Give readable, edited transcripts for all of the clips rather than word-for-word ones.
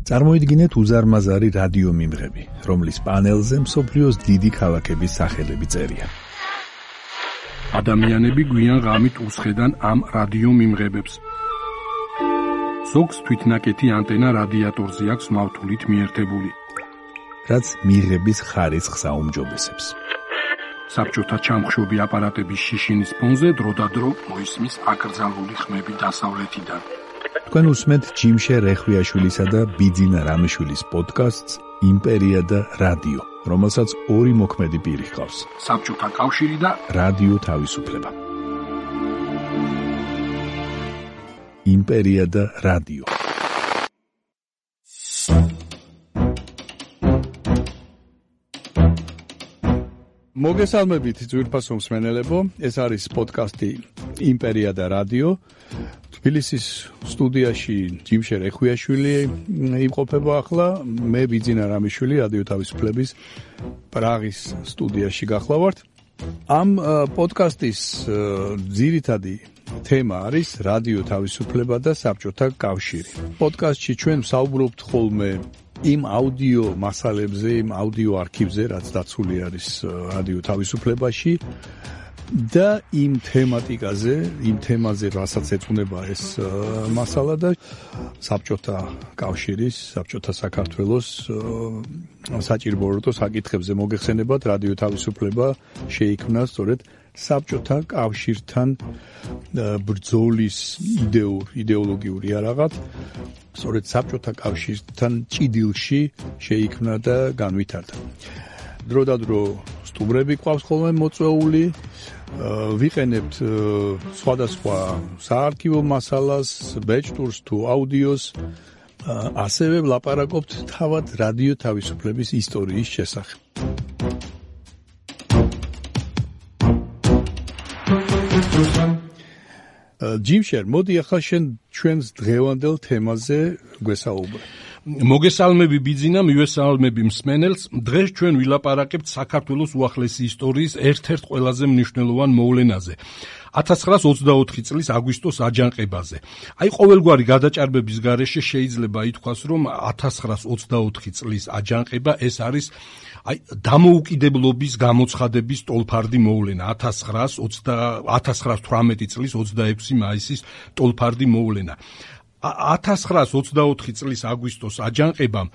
წარმოიდგინეთ უზარმაზარი რადიო მიმღები, რომლის პანელზე მსოფლიოს დიდი ქალაქების სახელები წერია. ადამიანები გვიან ღამით უსხედან ამ რადიო მიმღებებს. ზოგს თვითნაკეთი ანტენა რადიატორზე აქვს მავთულით მიერთებული, რაც მიღების ხარისხს აუმჯობესებს. საბჭოთა ჩამხშობი აპარატების შიშინის ფონზე დროდადრო მოისმის აკრძალული ხმები დასავლეთიდან. თქვენ უსმენთ ჯიმშე რეხვიაშვილისა და ბიძინა რამიშვილის პოდკასტს იმპერია და რადიო, რომელსაც ორი მოქმედი პირი ჰყავს. საბჭოთა კავშირი და რადიო თავისუფლება. იმპერია და რადიო. მოგესალმებით ძვირფასო მსმენელებო, ეს არის პოდკასტი იმპერია და რადიო. თბილისის სტუდიაში ჯიმშე რეხვიაშვილი იმყოფება ახლა, მე ბიძინა რამიშვილი რადიო თავისუფლების პრაღის სტუდიაში გახლავართ. ამ პოდკასტის ძირითადი თემა არის რადიო თავისუფლება და საბჭოთა კავშირი. პოდკასტში ჩვენ ვსაუბრობთ ხოლმე იმ აუდიო მასალებზე, იმ აუდიო არქივზე, რაც დაცული არის რადიო თავისუფლებაში და იმ თემატიკაზე, იმ თემაზე, რასაც ეწუნება ეს მასალა და საბჭოთა კავშირის, საბჭოთა საქართველოს საჭიროებო საკითხებზე მოგეხსენებათ, რადიო თავისუფლება შეიქმნა სწორედ საბჭოთა კავშირთან ბრძოლის იდეოლოგიური არაღად, სწორედ საბჭოთა კავშირთან ჭიდილში შეიქმნა და განვითარდა. დროდადრო სტუმრები ყავს ხოლმე მოწვეული, ვიყენებთ სხვადასხვა საარქივო მასალას, ბეჭდურს თუ აუდიოს, ასევე ვლაპარაკობთ თავად რადიო თავისუფლების ისტორიის შესახებ. ჯიმშერ, მოდი ახლა შენ ჩვენს დღევანდელ თემაზე გვესაუბრე. მოგესალმები ბიძინა, მივესალმები მსმენელს. დღეს ჩვენ ვილაპარაკებთ საქართველოს უახლესი ისტორიის ერთ-ერთ ყველაზე მნიშვნელოვან მოვლენაზე. 1924 წლის აგვისტოს აჯანყებაზე. აი ყოველგვარი გადაჭარბების გარეშე შეიძლება ითქვას, რომ 1924 წლის აჯანყება ეს არის დამოუკიდებლობის გამოცხადების ტოლფარდი მოვლენა. 1918 წლის 26 მაისის ტოლფარდი მოვლენა. 1924 წლის აგვისტოს აჯანყებამ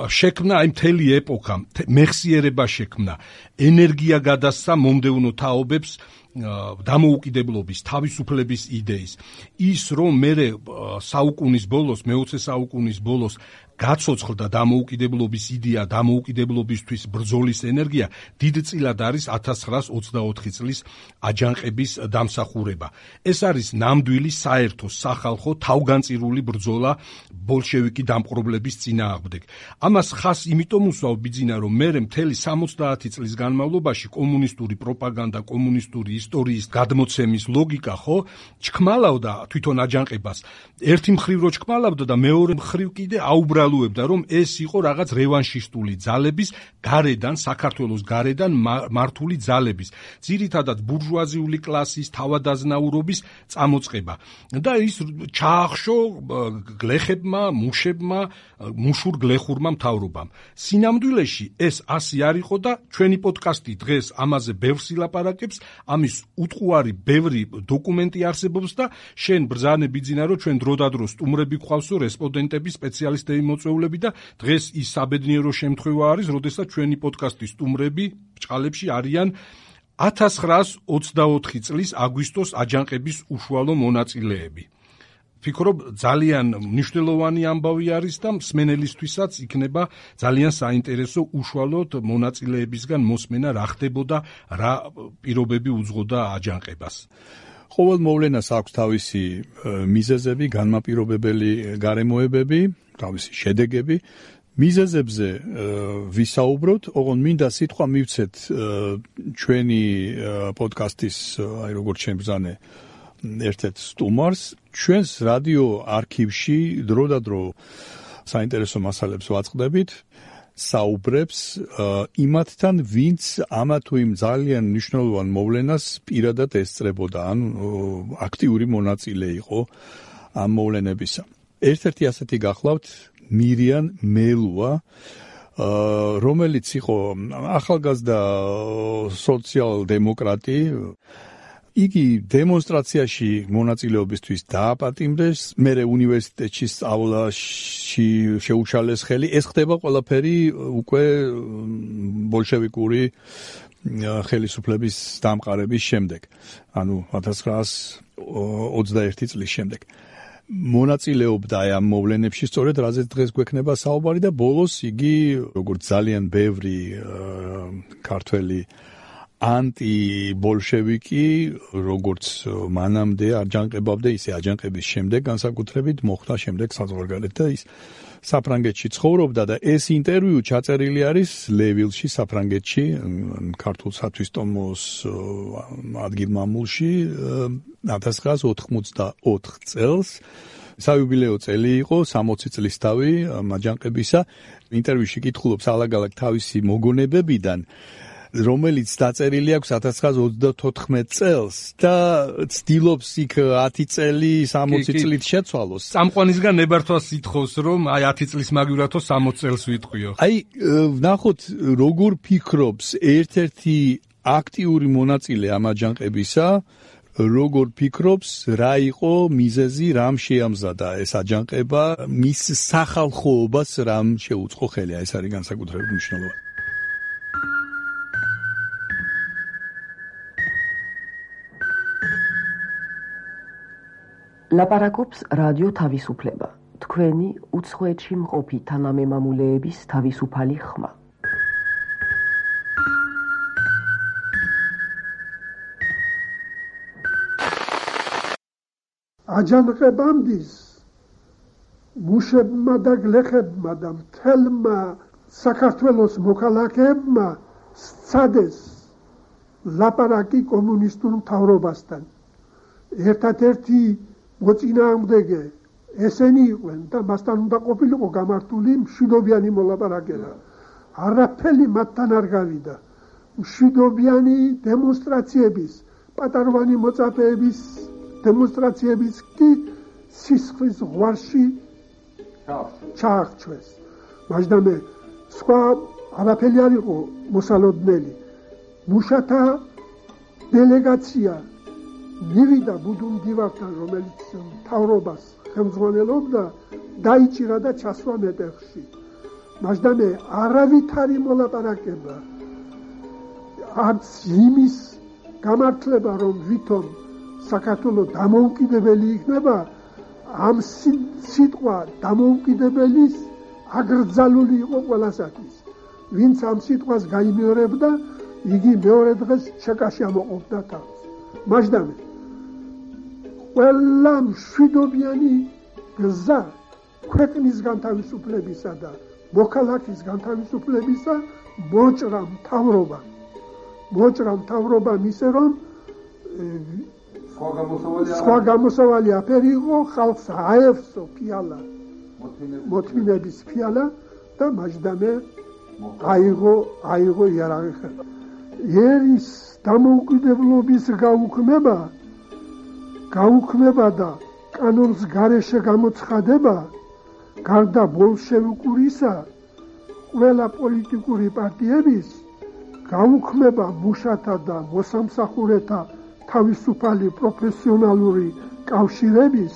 შექმნა აი მთელი ეპოქა, მეხსიერება შექმნა, ენერგია გადასცა მომდევნო თაობებს დამოუკიდებლობის, თავისუფლების იდეის. ის რომ მერე საუკუნის ბოლოს, მე-20 საუკუნის ბოლოს გაცოცხლდა დამოუკიდებლობის იდეა, დამოუკიდებლობისთვის ბრძოლის ენერგია, დიდწილად არის 1924 წლის აჯანყების დამსახურება. ეს არის ნამდვილი საერთო სახალხო თავგანწირული ბრძოლა ბოლშევიკი დამპყრობლების წინააღმდეგ. ამას ხას იმიტომ უსვავ ბიძინა, რომ მერე მთელი 70 წლის განმავლობაში კომუნისტური პროპაგანდა, კომუნისტური ისტორიის გადმოცემის ლოგიკა ხო ჩქმალავდა თვითონ აჯანყებას. ერთი მხრივ რო ჩქმალავდა და მეორე მხრივ კიდე აუბრალოებდა, რომ ეს იყო რაღაც რევანშისტული ძალების გარედან, საქართველოს გარედან მართული ძალების, ძირითადად ბურჟუაზიული კლასის, თავადაზნაურობის წამოწყება. და ის ჩაახშო გლეხებმა, მუშებმა, მუშურ გლეხურმა მთავრობამ. სინამდვილეში ეს ასე არ იყო და ჩვენი პოდკასტი დღეს ამაზე ბევრს ილაპარაკებს, ამის უტყუარი ბევრი დოკუმენტი არსებობს და შენ ბრძანე ბიძინა, რომ ჩვენ დროდადრო სტუმრები გვყავსო, რესპონდენტები, სპეციალისტები, მოწვეულები და დღეს ის საბედნიერო შემთხვევა არის, როდესაც ჩვენი პოდკასტის სტუმრები ბჭყალებში არიან 1924 წლის აგვისტოს აჯანყების უშუალო მონაწილეები. ვფიქრობ, ძალიან მნიშვნელოვანი ამბავი არის და მსმენელისთვისაც იქნება ძალიან საინტერესო უშუალოდ მონაწილეებისგან მოსმენა, რა ხდებოდა, რა პირობები უძღოდა აჯანყებას. ყოველ მოვლენას აქვს თავისი მიზეზები, განმაპირობებელი გარემოებები, თავისი შედეგები. მიზეზებზე ვისაუბროთ, ოღონდ მინდა სიტყვა მივცეთ ჩვენი პოდკასტის, აი როგორც შენ ბრძანე, ერთ-ერთ სტუმარს. ჩვენს რადიო არქივში დროდადრო საინტერესო მასალებს ვაწყდებით, საუბრებს იმათთან, ვინც ამა თუ იმ ძალიან მნიშვნელოვან მოვლენას პირადად ესწრებოდა, ან აქტიური მონაწილე იყო ამ მოვლენებისა. ერთ-ერთი ასეთი გახლავთ მირიან მელუა, რომელიც იყო ახალგაზრდა სოციალ-დემოკრატი. იგი დემონსტრაციაში მონაწილეობისთვის დააპატიმრეს, მერე უნივერსიტეტში სწავლაში შეუჩალეს ხელი. ეს ხდება ყველაფერი უკვე ბოლშევიკური ხელისუფლების დამყარების შემდეგ, ანუ 1921 წლის შემდეგ. მონაწილეობდა ამ მოვლენებში, სწორედ რაზეც დღეს გვექნება საუბარი და ბოლოს იგი, როგორც ძალიან ბევრი ქართველი ანტიბოლშევიკი, როგორც მანამდე აჯანყებავდა, ისე აჯანყების შემდეგ განსაკუთრებით მოხვდა შემდეგ საზღვარგარეთ და ის საფრანგეთში ცხოვრობდა და ეს ინტერვიუ ჩაწერილი არის ლევილში, საფრანგეთში, ქართულ სათვისტომოს ადგილმამულში 1984 წელს. საიუბილეო წელი იყო, 60 წლის თავი აჯანყებისა. ინტერვიუში კითხულობს ალაგ-ალაგ თავისი მოგონებებიდან, რომელიც დაწერილი აქვს 1924 წელს და ცდილობს იქ 10 წელი 60 წლით შეცვალოს. წამყვანისგან ნებართვას ითხოვს, რომ აი 10 წლის მაგივრათო 60 წელს ვიტყვიო. აი, ვნახოთ, როგორ ფიქრობს ერთ-ერთი აქტიური მონაწილე ამ აჯანყებისა, როგორ ფიქრობს, რა იყო მიზეზი, რამ შეამზადა ეს აჯანყება, მის სახალხოობას რამ შეუწყო ხელი, ეს არის განსაკუთრებით მნიშვნელოვანი. ლაპარაკობს რადიო თავისუფლება, თქვენი უცხოეთში მყოფი თანამემამულეების თავისუფალი ხმა. აჯანყებამდის მუშებმა და გლეხებმა და მთელმა საქართველოს მოქალაქეებმა სცადეს ლაპარაკი კომუნისტურ მთავრობასთან. ერთადერთი მოწინააღმდეგე ესენი იყვნენ და მასთან უნდა ყოფილიყო გამართული მშვიდობიანი მოლაპარაკება. არაფერი მათთან არ გავიდა. მშვიდობიანი დემონსტრაციების, პატარვანი მოწაფეების დემონსტრაციების კი სისხლის ზღვარში ჩაახჩვეს. მაგდამე სხვა არაფერი არ იყო მოსალოდნელი. მუშათა დელეგაცია მივიდა ბუდუმდივართან, რომელიც მთავრობას ხელმძღვანელობდა, დაიჭირა და ჩასვა მეტეხში. მაგდამე არავითარი მოლაპარაკება, არც იმის გამართლება, რომ ვითომ საქართველოს დამოუკიდებელი იქნება, ამ სიტყვა დამოუკიდებელის აგრძალული იყო ყველასათვის. ვინც ამ სიტყვას გაიმეორებდა, იგი მეორე დღეს ჩეკაში ამოყოფდა თავს. მაგდამე ყველა მშვიდობიანი გზა ქვეყნის განთავისუფლებისა და მოქალაქის განთავისუფლებისა მოჭრა მთავრობა ისე რომ სხვა გამოსავალი აფერი იყო, ხალხს აევსო ფიალა, მოთმინების ფიალა და მაგდამე აიღო იარაღი. ერის დამოუკიდებლობის გაუქმება და კანონს გარეშე გამოცხადება, გარდა ბოლშევიკურისა, ყველა პოლიტიკური პარტიების გაუქმება მუშათა და მოსამსახურეთა თავისუფალი პროფესიონალური კავშირების,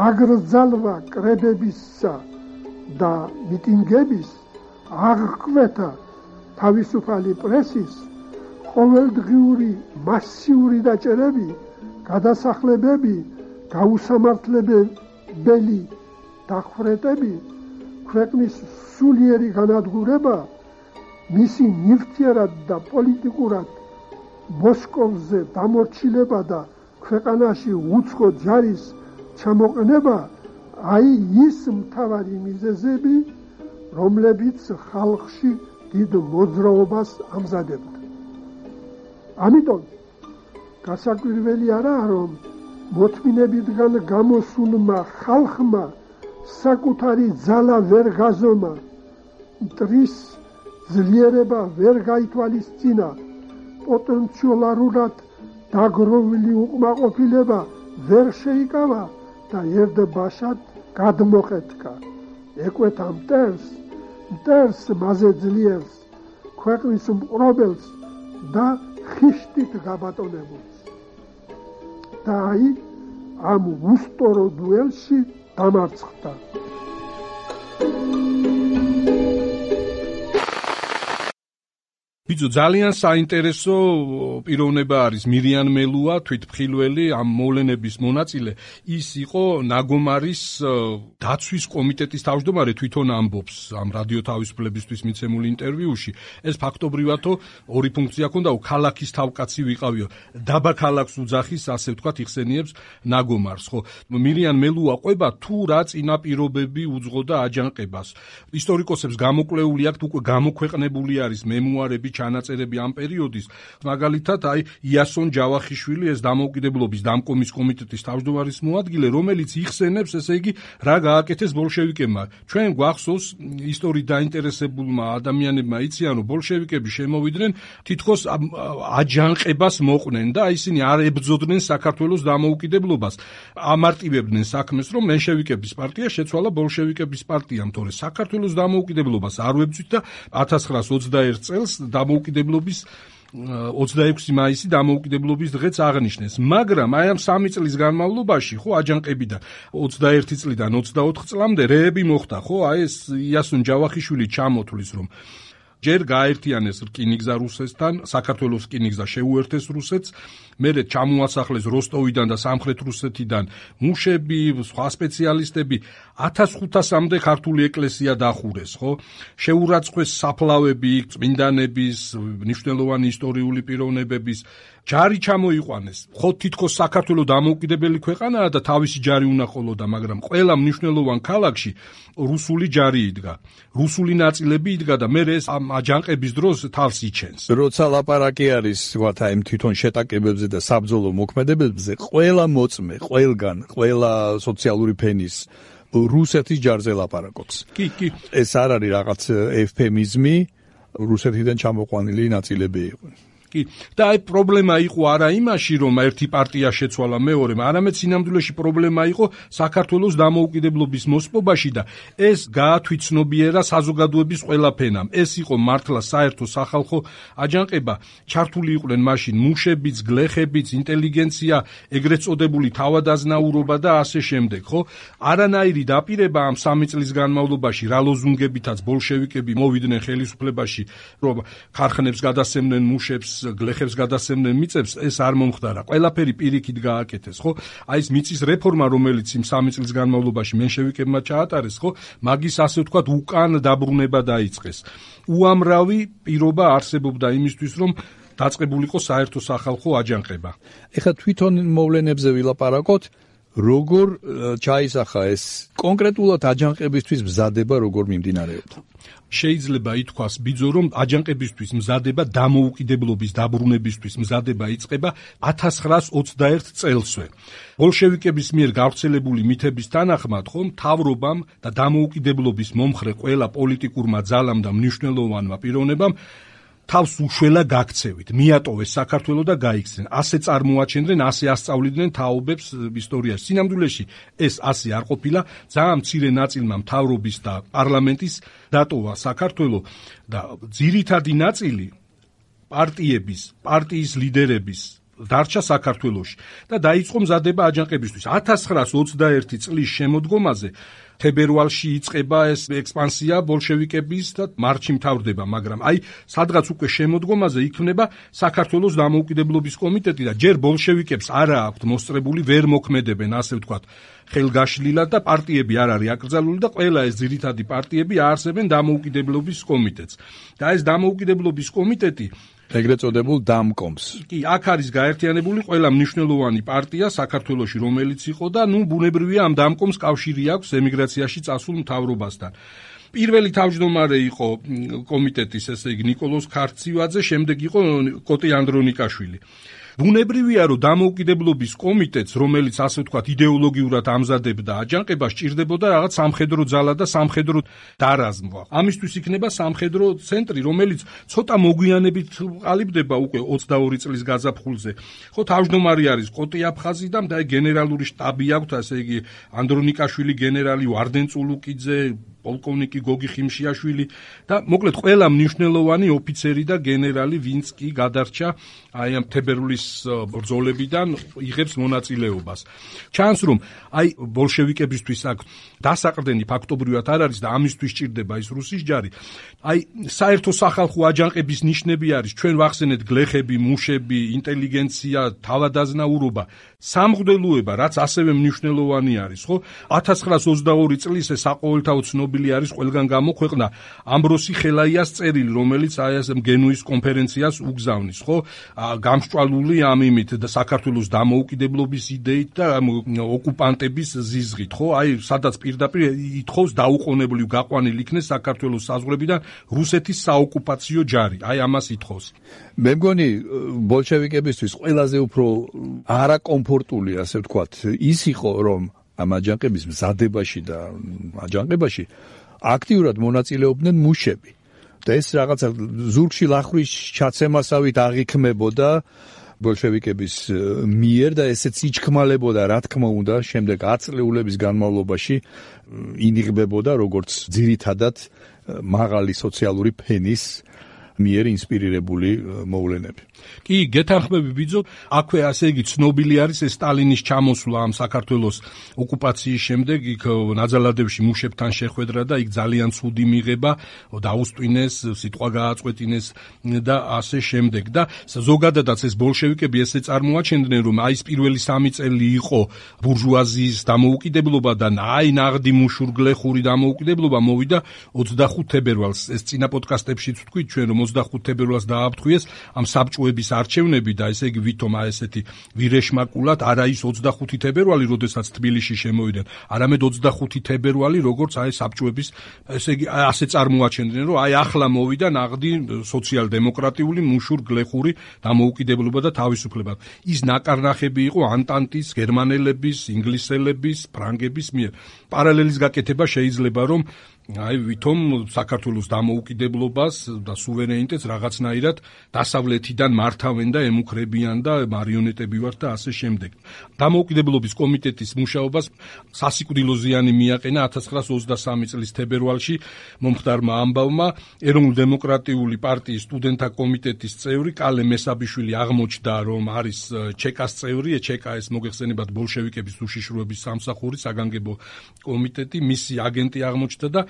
აგრძალვა კრებებისა და მიტინგების, აღკვეთა თავისუფალი პრესის, ყოველდღიური მასიური დაჭერები, გადასახლებები, გაუსამართლებელი დახვრეტები, ქვეყნის სულიერი განადგურება, მისი ნივთიერად და პოლიტიკურად მოსკოვზე დამორჩილება და ქვეყანაში უცხო ჯარის ჩამოყენება, აი ის მთავარი მიზეზები, რომლებიც ხალხში დიდ მოძრაობას ამზადებდა. ამიტომ გასაკვირველი არაა, რომ მოთმინებიდან გამოსულმა ხალხმა საკუთარი ძალა ვერ გაზომა, მტრის ძლიერება ვერ გაითვალისწინა, პოტენციალურად დაგროვილი უკმაყოფილება ვერ შეიკავა და ერთბაშად გადმოხეთკა. ეკვეთა მტერს მასე ძლიერს, ქვეყნის მყრობელს და ხიშტით გაბატონებულს. და აი ამ უსტორო დუელში დამარცხდა. ბიძო, ძალიან საინტერესო პიროვნება არის მირიან მელუა, თვითმხილველი, ამ მოვლენების მონაწილე. ის იყო ნაგომარის დაცვის კომიტეტის თავმჯდომარე, თვითონ ამბობს ამ რადიო თავისუფლებისთვის მიცემულ ინტერვიუში. ეს ფაქტობრივათო ორი ფუნქცია ჰქონდა, ქალაქის თავკაცი ვიყავიო. დაბა ქალაქს უძახის, ასე ვთქვათ, იხსენიებს ნაგომარს, ხო? მირიან მელუა ყვება თუ რა წინაპირობები უძღოდა აჯანყებას. ისტორიკოსებს გამოკვლეული აქვთ, უკვე გამოქვეყნებული არის მემუარები, ჩანაწერები ამ პერიოდის, მაგალითად, აი იასონ ჯავახიშვილი, ეს დამოუკიდებლობის დამკომის კომიტეტის თავმჯდომარის მოადგილე, რომელიც იხსენებს, ესე იგი, რა გააკეთეს ბოლშევიკებმა. ჩვენ გვახსოვს ისტორიით დაინტერესებულმა ადამიანებმა იციან, რომ ბოლშევიკები შემოვიდნენ, თითქოს აჯანყებას მოყვნენ და ისინი არ ებრძოდნენ საქართველოს დამოუკიდებლობას. ამარტივებდნენ საქმეს, რომ მენშევიკების პარტია შეცვალა ბოლშევიკების პარტიამ, თორე საქართველოს დამოუკიდებლობას არ ვებრძვით და 1921 წელს დამოუკიდებლობის 26 მაისი დამოუკიდებლობის დღეც აღნიშნეს. მაგრამ აი ამ 3 წლის განმავლობაში, ხო, აჯანყებიდან 21 წლიდან 24 წლამდე რეები მოხდა, ხო, აი ეს იასონ ჯავახიშვილი ჩამოთვლის, რომ ჯერ გააერთიანეს რკინიგზა რუსეთთან, საქართველოს რკინიგზა შეუერთეს რუსეთს, მერე ჩამოასახლეს როსტოვიდან და სამხრეთ რუსეთიდან მუშები, სხვა სპეციალისტები, 1500-მდე ქართული ეკლესია დახურეს, ხო? შეურაცხყვეს საფლავები, წმინდანების, მნიშვნელოვანი ისტორიული პიროვნებების, ჯარი ჩამოიყვანეს. ხო, თითქოს საქართველოს დამოუკიდებელი ქვეყანაა და თავისი ჯარი უნდა ყოლოდა, მაგრამ ყველა მნიშვნელოვან ქალაქში რუსული ჯარი იდგა. რუსული ნაწილები იდგა და მერე ეს ამ აჯანყების დროს თავს იჩენს. როცა ლაპარაკი არის, ვთქვათ, აი თვითონ შეტაკებებზე და საბრძოლო მოქმედებებზე, ყველა მოწმე, ყველგან, ყველა სოციალური ფენის რუსეთის ჯარზე ლაპარაკობს. კი. ეს არ არის რაღაც ეფემიზმი, რუსეთიდან ჩამოყვანილი ნაწილები იყო. და აი პრობლემა იყო არა იმაში, რომ ერთი პარტია შეცვალა მეორემ, არამედ სინამდვილეში პრობლემა იყო საქართველოს დამოუკიდებლობის მოსპობაში და ეს გაათვითცნობიერა საზოგადოების ყველა ფენამ. ეს იყო მართლა საერთო სახალხო აჯანყება. ჩართული იყვნენ მაშინ მუშებიც, გლეხებიც, ინტელიგენცია, ეგრეთ წოდებული თავადაზნაურობა და ასე შემდეგ, ხო? არანაირი დაპირება ამ 3 წლის განმავლობაში რა ლოზუნგებითაც ბოლშევიკები მოვიდნენ ხელისუფლებაში, რომ ქარხნებს გადასცემდნენ მუშებს, გლეხებს გადასცემდნენ მიწებს, ეს არ მომხდარა. ყველაფერი პირიქით გააკეთეს, ხო? აი ეს მიწის რეფორმა, რომელიც იმ 3 წლის განმავლობაში მენშევიკებმა ჩაატარეს, ხო? მაგის ასე ვთქვათ უკან დაბრუნება დაიწყეს. უამრავი პირობა არსებობდა იმისთვის, რომ დაწყებულიყო საერთო სახალხო აჯანყება. ეხლა თვითონ მოვლენებზე ვილაპარაკოთ, როგორ ჩაისახა ეს კონკრეტულად აჯანყებისთვის მზადება, როგორ მიმდინარეობდა? შეიძლება ითქვას, ბიძო, რომ აჯანყებისთვის მზადება, დამოუკიდებლობის დაბრუნებისთვის მზადება იწყება 1921 წელსვე. ბოლშევიკების მიერ გავრცელებული მითების თანახმად, ხო, მთავრობამ და დამოუკიდებლობის მომხრე ყველა პოლიტიკურმა ძალამ და მნიშვნელოვანმა პიროვნებამ თავს უშველა გაქცევით, მიატოვეს საქართველო და გაიქცნენ. ასე წარმოაჩენდნენ, ასე ასწავლიდნენ თაობებს ისტორიაში. სინამდვილეში ეს ასე არ ყოფილა, ძალიან მცირე ნაწილმა მთავრობის და პარლამენტის დატოვა საქართველო და ძირითადი ნაწილი პარტიის ლიდერების დარჩა საქართველოში და დაიწყო მზადება აჯანყებისთვის. 1921 წლის შემოდგომაზე თებერვალში იწყება ეს ექსპანსია ბოლშევიკების და მარტში მთავრდება, მაგრამ აი სადღაც უკვე შემოდგომაზე იქმნება საქართველოს დამოუკიდებლობის კომიტეტი და ჯერ ბოლშევიკებს არა აქვთ მოსწრებული, ვერ მოქმედებენ, ასე ვთქვათ, ხელგაშლილად და პარტიები არ არის აკრძალული და ყველა ეს ძირითადი პარტიები აარსებენ დამოუკიდებლობის კომიტეტს. და ეს დამოუკიდებლობის კომიტეტი ეგრეთ წოდებულ დამკომს. კი, აქ არის გაერთიანებული ყველა მნიშვნელოვანი პარტია საქართველოში, რომელიც იყო და ბუნებრივია ამ დამკომს კავშირი აქვს ემიგრაციაში წასულ მთავრობასთან. პირველი თავმჯდომარე იყო კომიტეტის, ესე იგი, ნიკოლოზ ქარცივაძე, შემდეგ იყო კოტე ანდრონიკაშვილი. ბუნებრივია, რომ დამოუკიდებლობის კომიტეტს, რომელიც ასე ვთქვათ იდეოლოგიურად ამზადებდა აჯანყებას, სჭირდებოდა რაღაც სამხედრო ძალა და სამხედრო დარაზმვა. ამისთვის იქნება სამხედრო ცენტრი, რომელიც ცოტა მოგვიანებით ყალიბდება უკვე 22 წლის გაზაფხულზე. ხო, თავმჯდომარე არის კოტე აფხაზი და გენერალური შტაბი აქვს, ასე იგი, ანდრონიკაშვილი, გენერალი ვარდენ წულუკიძე, პოლკოვნიკი გოგი ხიმშიაშვილი და მოკლედ ყველა მნიშვნელოვანი ოფიცერი და გენერალი, ვინც კი გადარჩა აი ამ თებერვლის ბრძოლებიდან იღებს მონაწილეობას. ჩანს რომ აი ბოლშევიკებისთვის აქ დასაყრდენი ფაქტობრივად არ არის და ამისთვის ჭირდება ის რუსის ჯარი. აი საერთო სახალხო აჯანყების ნიშნები არის ჩვენ ვახსენეთ გლეხები, მუშები, ინტელიგენცია, თავადაზნაურობა, სამღვდელოება, რაც ასევე მნიშვნელოვანი არის, ხო? 1922 წლის საყოველთაო ცნობილი არის ყველგან გამოქვეყნდა ამბროსი ხელაიას წერილი, რომელიც აი ეს გენუის კონფერენციას უგზავნის, ხო? გამსჭვალული ამ იმით და საქართველოს დამოუკიდებლობის იდეით და ოკუპანტების ზიზღით, ხო? აი სადაც პირდაპირ ითხოვს დაუყოვნებლივ გაყვანილ იქნეს საქართველოს საზღვრებიდან რუსეთის საოკუპაციო ჯარი. აი ამას ითხოვს. მე მგონი ბოლშევიკებისთვის ყველაზე უფრო არაკომფორტული, ასე ვთქვათ, ის იყო, რომ ამ აჯანყების მზადებაში და აჯანყებაში აქტიურად მონაწილეობდნენ მუშები. და ეს რაღაცა ზურგში ლახვის ჩაცემასავით აღიქმებოდა ბოლშევიკების მიერ და ესეც იჩქმალებოდა, რა თქმა უნდა, შემდეგ 10 წლეულების განმავლობაში ინიღბებოდა როგორც ძირითადად მაღალი სოციალური ფენის მიერ ინსპირირებული მოვლენები. კი, გეთანხმები ბიძო, აქვე ასე იგი ცნობილი არის ეს სტალინის ჩამოსვლა ამ საქართველოს ოკუპაციის შემდეგ, იქ ნაძალადევში მუშებთან შეხვედრა და იქ ძალიან ცუდი მიღება, დაუსტვინეს, სიტყვა გააწყვეტინეს და ასე შემდეგ. და ზოგადადაც ეს ბოლშევიკები ესე წარმოაჩენდნენ, რომ აი ეს პირველი 3 წელი იყო ბურჟუაზიის დამოუკიდებლობა და აი ნაღდი მუშურგლეხური დამოუკიდებლობა მოვიდა 25 თებერვალს. ეს წინა პოდკასტებშიც ვთქვით ჩვენ, რომ 25 თებერვალს დააფრთხეს ამ საბჭოების არჩევნები და ესე იგი ვითომ ესეთი ვირეშმაკულად არა ის 25 თებერვალი, როდესაც თბილისში შემოვიდნენ, არამედ 25 თებერვალი, როგორც აი საბჭოების ესე იგი ასე წარმოაჩენდნენ, რომ აი ახლა მოვიდა ნაღდი სოციალ-დემოკრატიული მუშურ-გლეხური დამოუკიდებლობა და თავისუფლება. ის ნაკარნახები იყო ანტანტის, გერმანელების, ინგლისელების, ფრანგების მიერ. პარალელის გაკეთება შეიძლება, რომ აი ვითომ საქართველოს დამოუკიდებლობას და სუვერენიტეტს რაღაცნაირად დასავლეთიდან მართავენ და ემუქრებიან და მარიონეტები ვართ და ასე შემდეგ. დამოუკიდებლობის კომიტეტის მუშაობას სასიკვდილო ზიანი მიაყენა 1923 წლის თებერვალში მომხდარმა ამბავმა. ეროვნულ-დემოკრატიული პარტიის სტუდენტთა კომიტეტის წევრი კალე მესაბიშვილი აღმოჩნდა, რომ არის ჩეკას წევრი. ჩეკა ეს მოგეხსენებათ ბოლშევიკების უშიშროების სამსახური, საგანგებო კომიტეტი, მისი აგენტი აღმოჩნდა და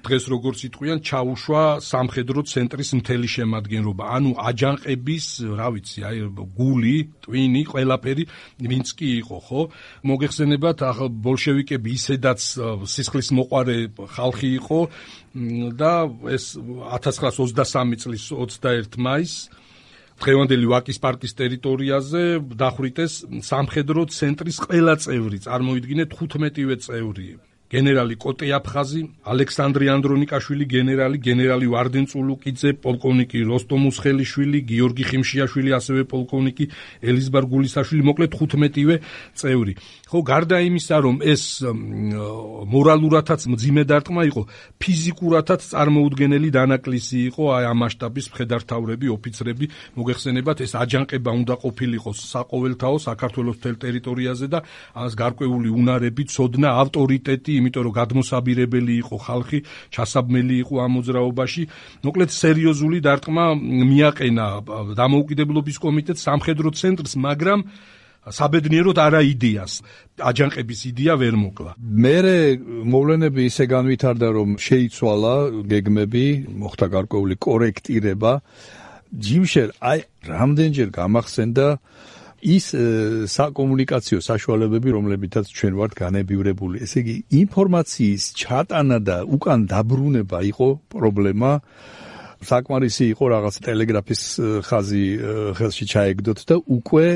დღეს როგორც იტყვიან, ჩაუშვა სამხედრო ცენტრის მთელი შემადგენლობა. ანუ აჯანყების, რა ვიცი, აი გული, ტვინი, ყველაფერი ვინც კი იყო, ხო? მოგეხსენებათ, ბოლშევიკები ისედაც სისხლის მოყვარე ხალხი იყო და ეს 1923 წლის 21 მაისს დღევანდელი ვაკის პარკის ტერიტორიაზე დახვრიტეს სამხედრო ცენტრის ყველა წევრი, წარმოიდგინეთ 15-ვე წევრი. გენერალი კოტე აფხაზი, ალექსანდრე ანდრონიკაშვილი, გენერალი ვარდენ წულუკიძე, პოლკოვნიკი როსტომ უსხელიშვილი, გიორგი ხიმშიაშვილი, ასევე პოლკოვნიკი ელიზბარ გულისაშვილი, მოკლედ 15-ვე წევრი. ხო, გარდა იმისა, რომ ეს მორალურათაც მძიმე დარტყმა იყო, ფიზიკურათაც წარმოუდგენელი დანაკლისი იყო აი ამ მასშტაბის მხედართავრები, ოფიცრები, მოგეხსენებათ, ეს აჯანყება უნდა ყოფილიყო საყოველთაო საქართველოს მთელ ტერიტორიაზე და ამას გარკვეული უნარები, ცოდნა, ავტორიტეტი, იმიტომ რომ გადმოსაბირებელი იყო ხალხი, ჩასაბმელი იყო ამ მოძრაობაში. მოკლედ სერიოზული დარტყმა მიაყენა დამოუკიდებლობის კომიტეტს, სამხედრო ცენტრს, მაგრამ საბედნიეროდ არა იდეას. აჯანყების იდეა ვერ მოკლა. მერე მოვლენები ისე განვითარდა, რომ შეიცვალა გეგმები, მოხდა გარკვეული კორექტირება. ჯიმშერ აი რამდენჯერ გამახსენდა ის საკომუნიკაციო საშუალებები, რომლებითაც ჩვენ ვართ განებივრებული. ესე იგი, ინფორმაციის ჩატანა და უკან დაბრუნება იყო პრობლემა. საკმარისი იყო რაღაც ტელეგრაფის ხაზი ხელში ჩაეგდოთ და უკვე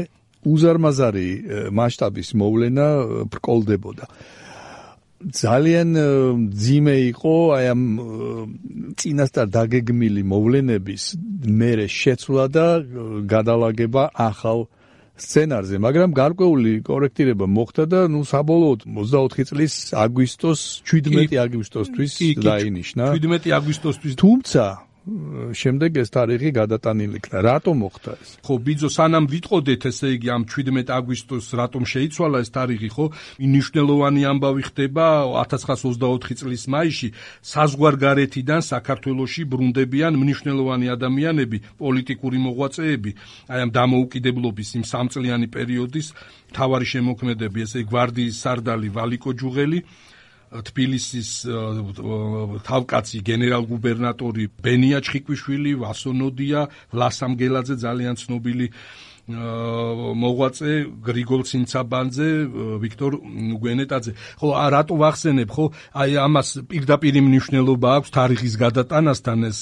უზარმაზარი მასშტაბის მოვლენა ბრკოლდებოდა. ძალიან ძიმე იყო აი ამ წინასწარ დაგეგმილი მოვლენების მერე შეცვლა და გადალაგება ახალ სცენარზე, მაგრამ გარკვეული კორექტირება მოხდა და საბოლოოდ 24 წლის აგვისტოს 17 აგვისტოსთვის დაინიშნა. 17 აგვისტოსთვის. თუმცა შემდეგ ეს თარიღი გადატანილი იქნა. რატომ მოხდა ეს? ხო, ბიძო, სანამ ვიტყოდეთ, ესე იგი ამ 17 აგვისტოს რატომ შეიცვალა ეს თარიღი, ხო? მნიშვნელოვანი ამბავი ხდება 1924 წლის მაისში საზღვარგარეთიდან საქართველოში ბრუნდებიან მნიშვნელოვანი ადამიანები, პოლიტიკური მოღვაწეები, აი ამ დამოუკიდებლობის იმ სამწლიანი პერიოდის მთავარი შემოქმედები, ესე გვარდიის სარდალი ვალიკო ჯუღელი, თბილისის თავკაცი გენერალ-გუბერნატორი ბენია ჩხიკვიშვილი, ვასონოდია, ვლასამ გელაძე, ძალიან ცნობილი მოღვაწე, გრიგოლ ცინცაბანძე, ვიქტორ გვენეტაძე. ხო, რატო ვახსენებ, ხო? აი ამას პირდაპირ მნიშვნელობა აქვს თარიღის გადატანასთან, ეს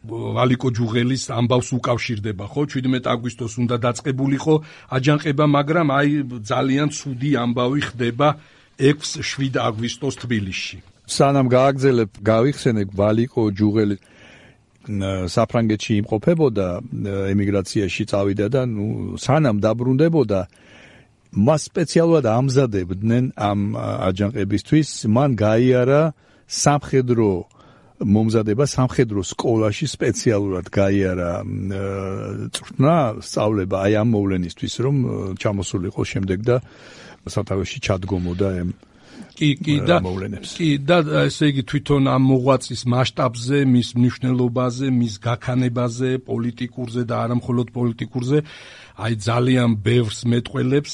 ვალიკო ჯუღელის ამბავს უკავშირდება, ხო? 17 აგვისტოს უნდა დაწყებულიყო აჯანყება, მაგრამ აი ძალიან ცუდი ამბავი ხდება 6-7 აგვისტოს თბილისში. სანამ გააგზელებ, გავიხსენებ ვალიკო ჯუღელი საფრანგეთში იმყოფებოდა, ემიგრაციაში წავიდა და სანამ დაბრუნდებოდა, მას სპეციალურად ამზადებდნენ ამ აჯანყებისთვის, მან გაიარა სამხედრო მომზადება სამხედრო სკოლაში სპეციალურად გაიარა წვრთნა სწავლება აი ამ მოვლენისთვის, რომ ჩამოსულიყო შემდეგ და სათავეში ჩადგომოდა და ესე იგი თვითონ ამ მოღვაწის მასშტაბზე, მის მნიშვნელობაზე, მის გაქანებაზე, პოლიტიკურზე და არა მხოლოდ პოლიტიკურზე, აი ძალიან ბევრს მეტყველებს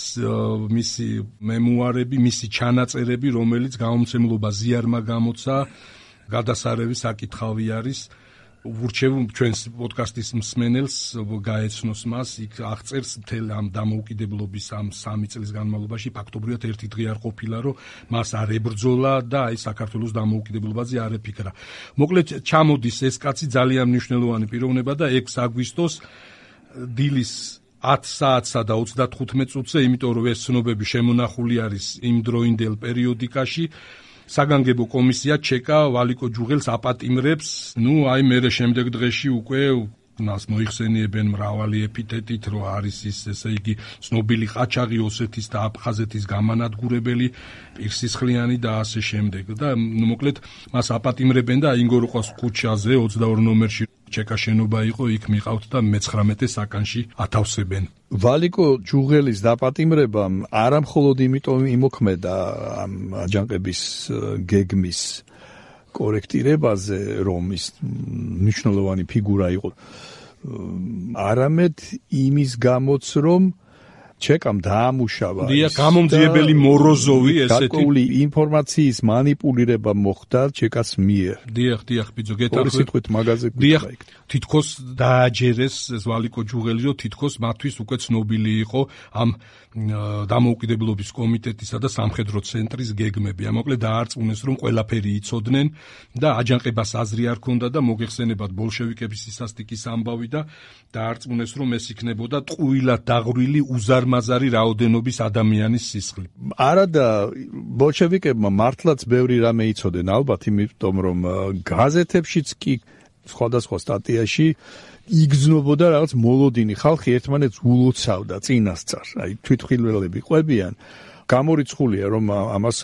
მისი მემუარები, მისი ჩანაწერები, რომელიც გამომცემლობა ზიარმა გამოცა, გადასარევი საკითხავი არის. ვურჩევ ჩვენს პოდკასტის მსმენელს გაეცნოს მას, იქ აღწერს მთელ ამ დამოუკიდებლობის ამ 3 წლის განმავლობაში ფაქტობრივად ერთი დღე არ ყოფილა, რომ მას არ ებრძოლა და აი საქართველოს დამოუკიდებლობაზე არ ეფიქრა. მოკლედ ჩამოდის ეს კაცი ძალიან მნიშვნელოვანი პიროვნება და 6 აგვისტოს დილის 10 საათსა და 35 წუთზე, იმიტომ რომ ეს ცნობები შემონახული არის იმ დროინდელ პერიოდიკაში, საგანგებო კომისია ჩეკა ვალიკო ჯუღელს აპატიმრებს, აი მერე შემდეგ დღეში უკვე მას მოიხსენიებენ მრავალი ეპითეტით, რომ არის ის, ესე იგი, ცნობილი ყაჩაღი ოსეთის და აფხაზეთის გამანადგურებელი, პირსისხლიანი და ასე შემდეგ. და მოკლედ მას აპატიმრებენ და ინგოროყვას ქუჩაზე 22 ნომერში ჩეკა შენობა იყო, იქ მიყავთ და მე-19 საკანში ათავსებენ. ვალიკო ჯუღელის დაპატიმრებამ არა მხოლოდ იმიტომ იმოქმედა ამ აჯანყების გეგმის კორექტირებაზე, რომ ის მნიშვნელოვანი ფიგურა იყო, არამედ იმის გამოც, რომ ჩეკამ დაამუშავა გამომძიებელი მოროზოვი ესეთი გარკვეული ინფორმაციის მანიპულირება მოხდა ჩეკას მიერ. დიახ, ბიძო, ორი სიტყვით მაგაზე გვიქვა იქ. თითქოს დააჯერეს ეს ვალიკო ჯუღელი, რომ თითქოს მათთვის უკვე ცნობილი იყო ამ დამოუკიდებლობის კომიტეტისა და სამხედრო ცენტრის გეგმები. მოკლედ დაარწმუნეს, რომ ყველაფერი იცოდნენ და აჯანყებას აზრი არ ქონდა და მოგეხსენებათ ბოლშევიკების სისასტიკის ამბავი და დაარწმუნეს, რომ ეს იქნებოდა ტყუილად დაღვრილი უზარმაზარი რაოდენობის ადამიანის სისხლი. არა და ბოლშევიკებმა მართლაც ბევრი რამე იცოდნენ, ალბათ, იმიტომ რომ გაზეთებშიც კი სხვადასხვა სტატიაში იგრძნობოდა რაღაც მოლოდინი, ხალხი ერთმანეთს ულოცავდა წინასწარ, აი თვითმხილველები ყვებიან. გამორიცხულია, რომ ამას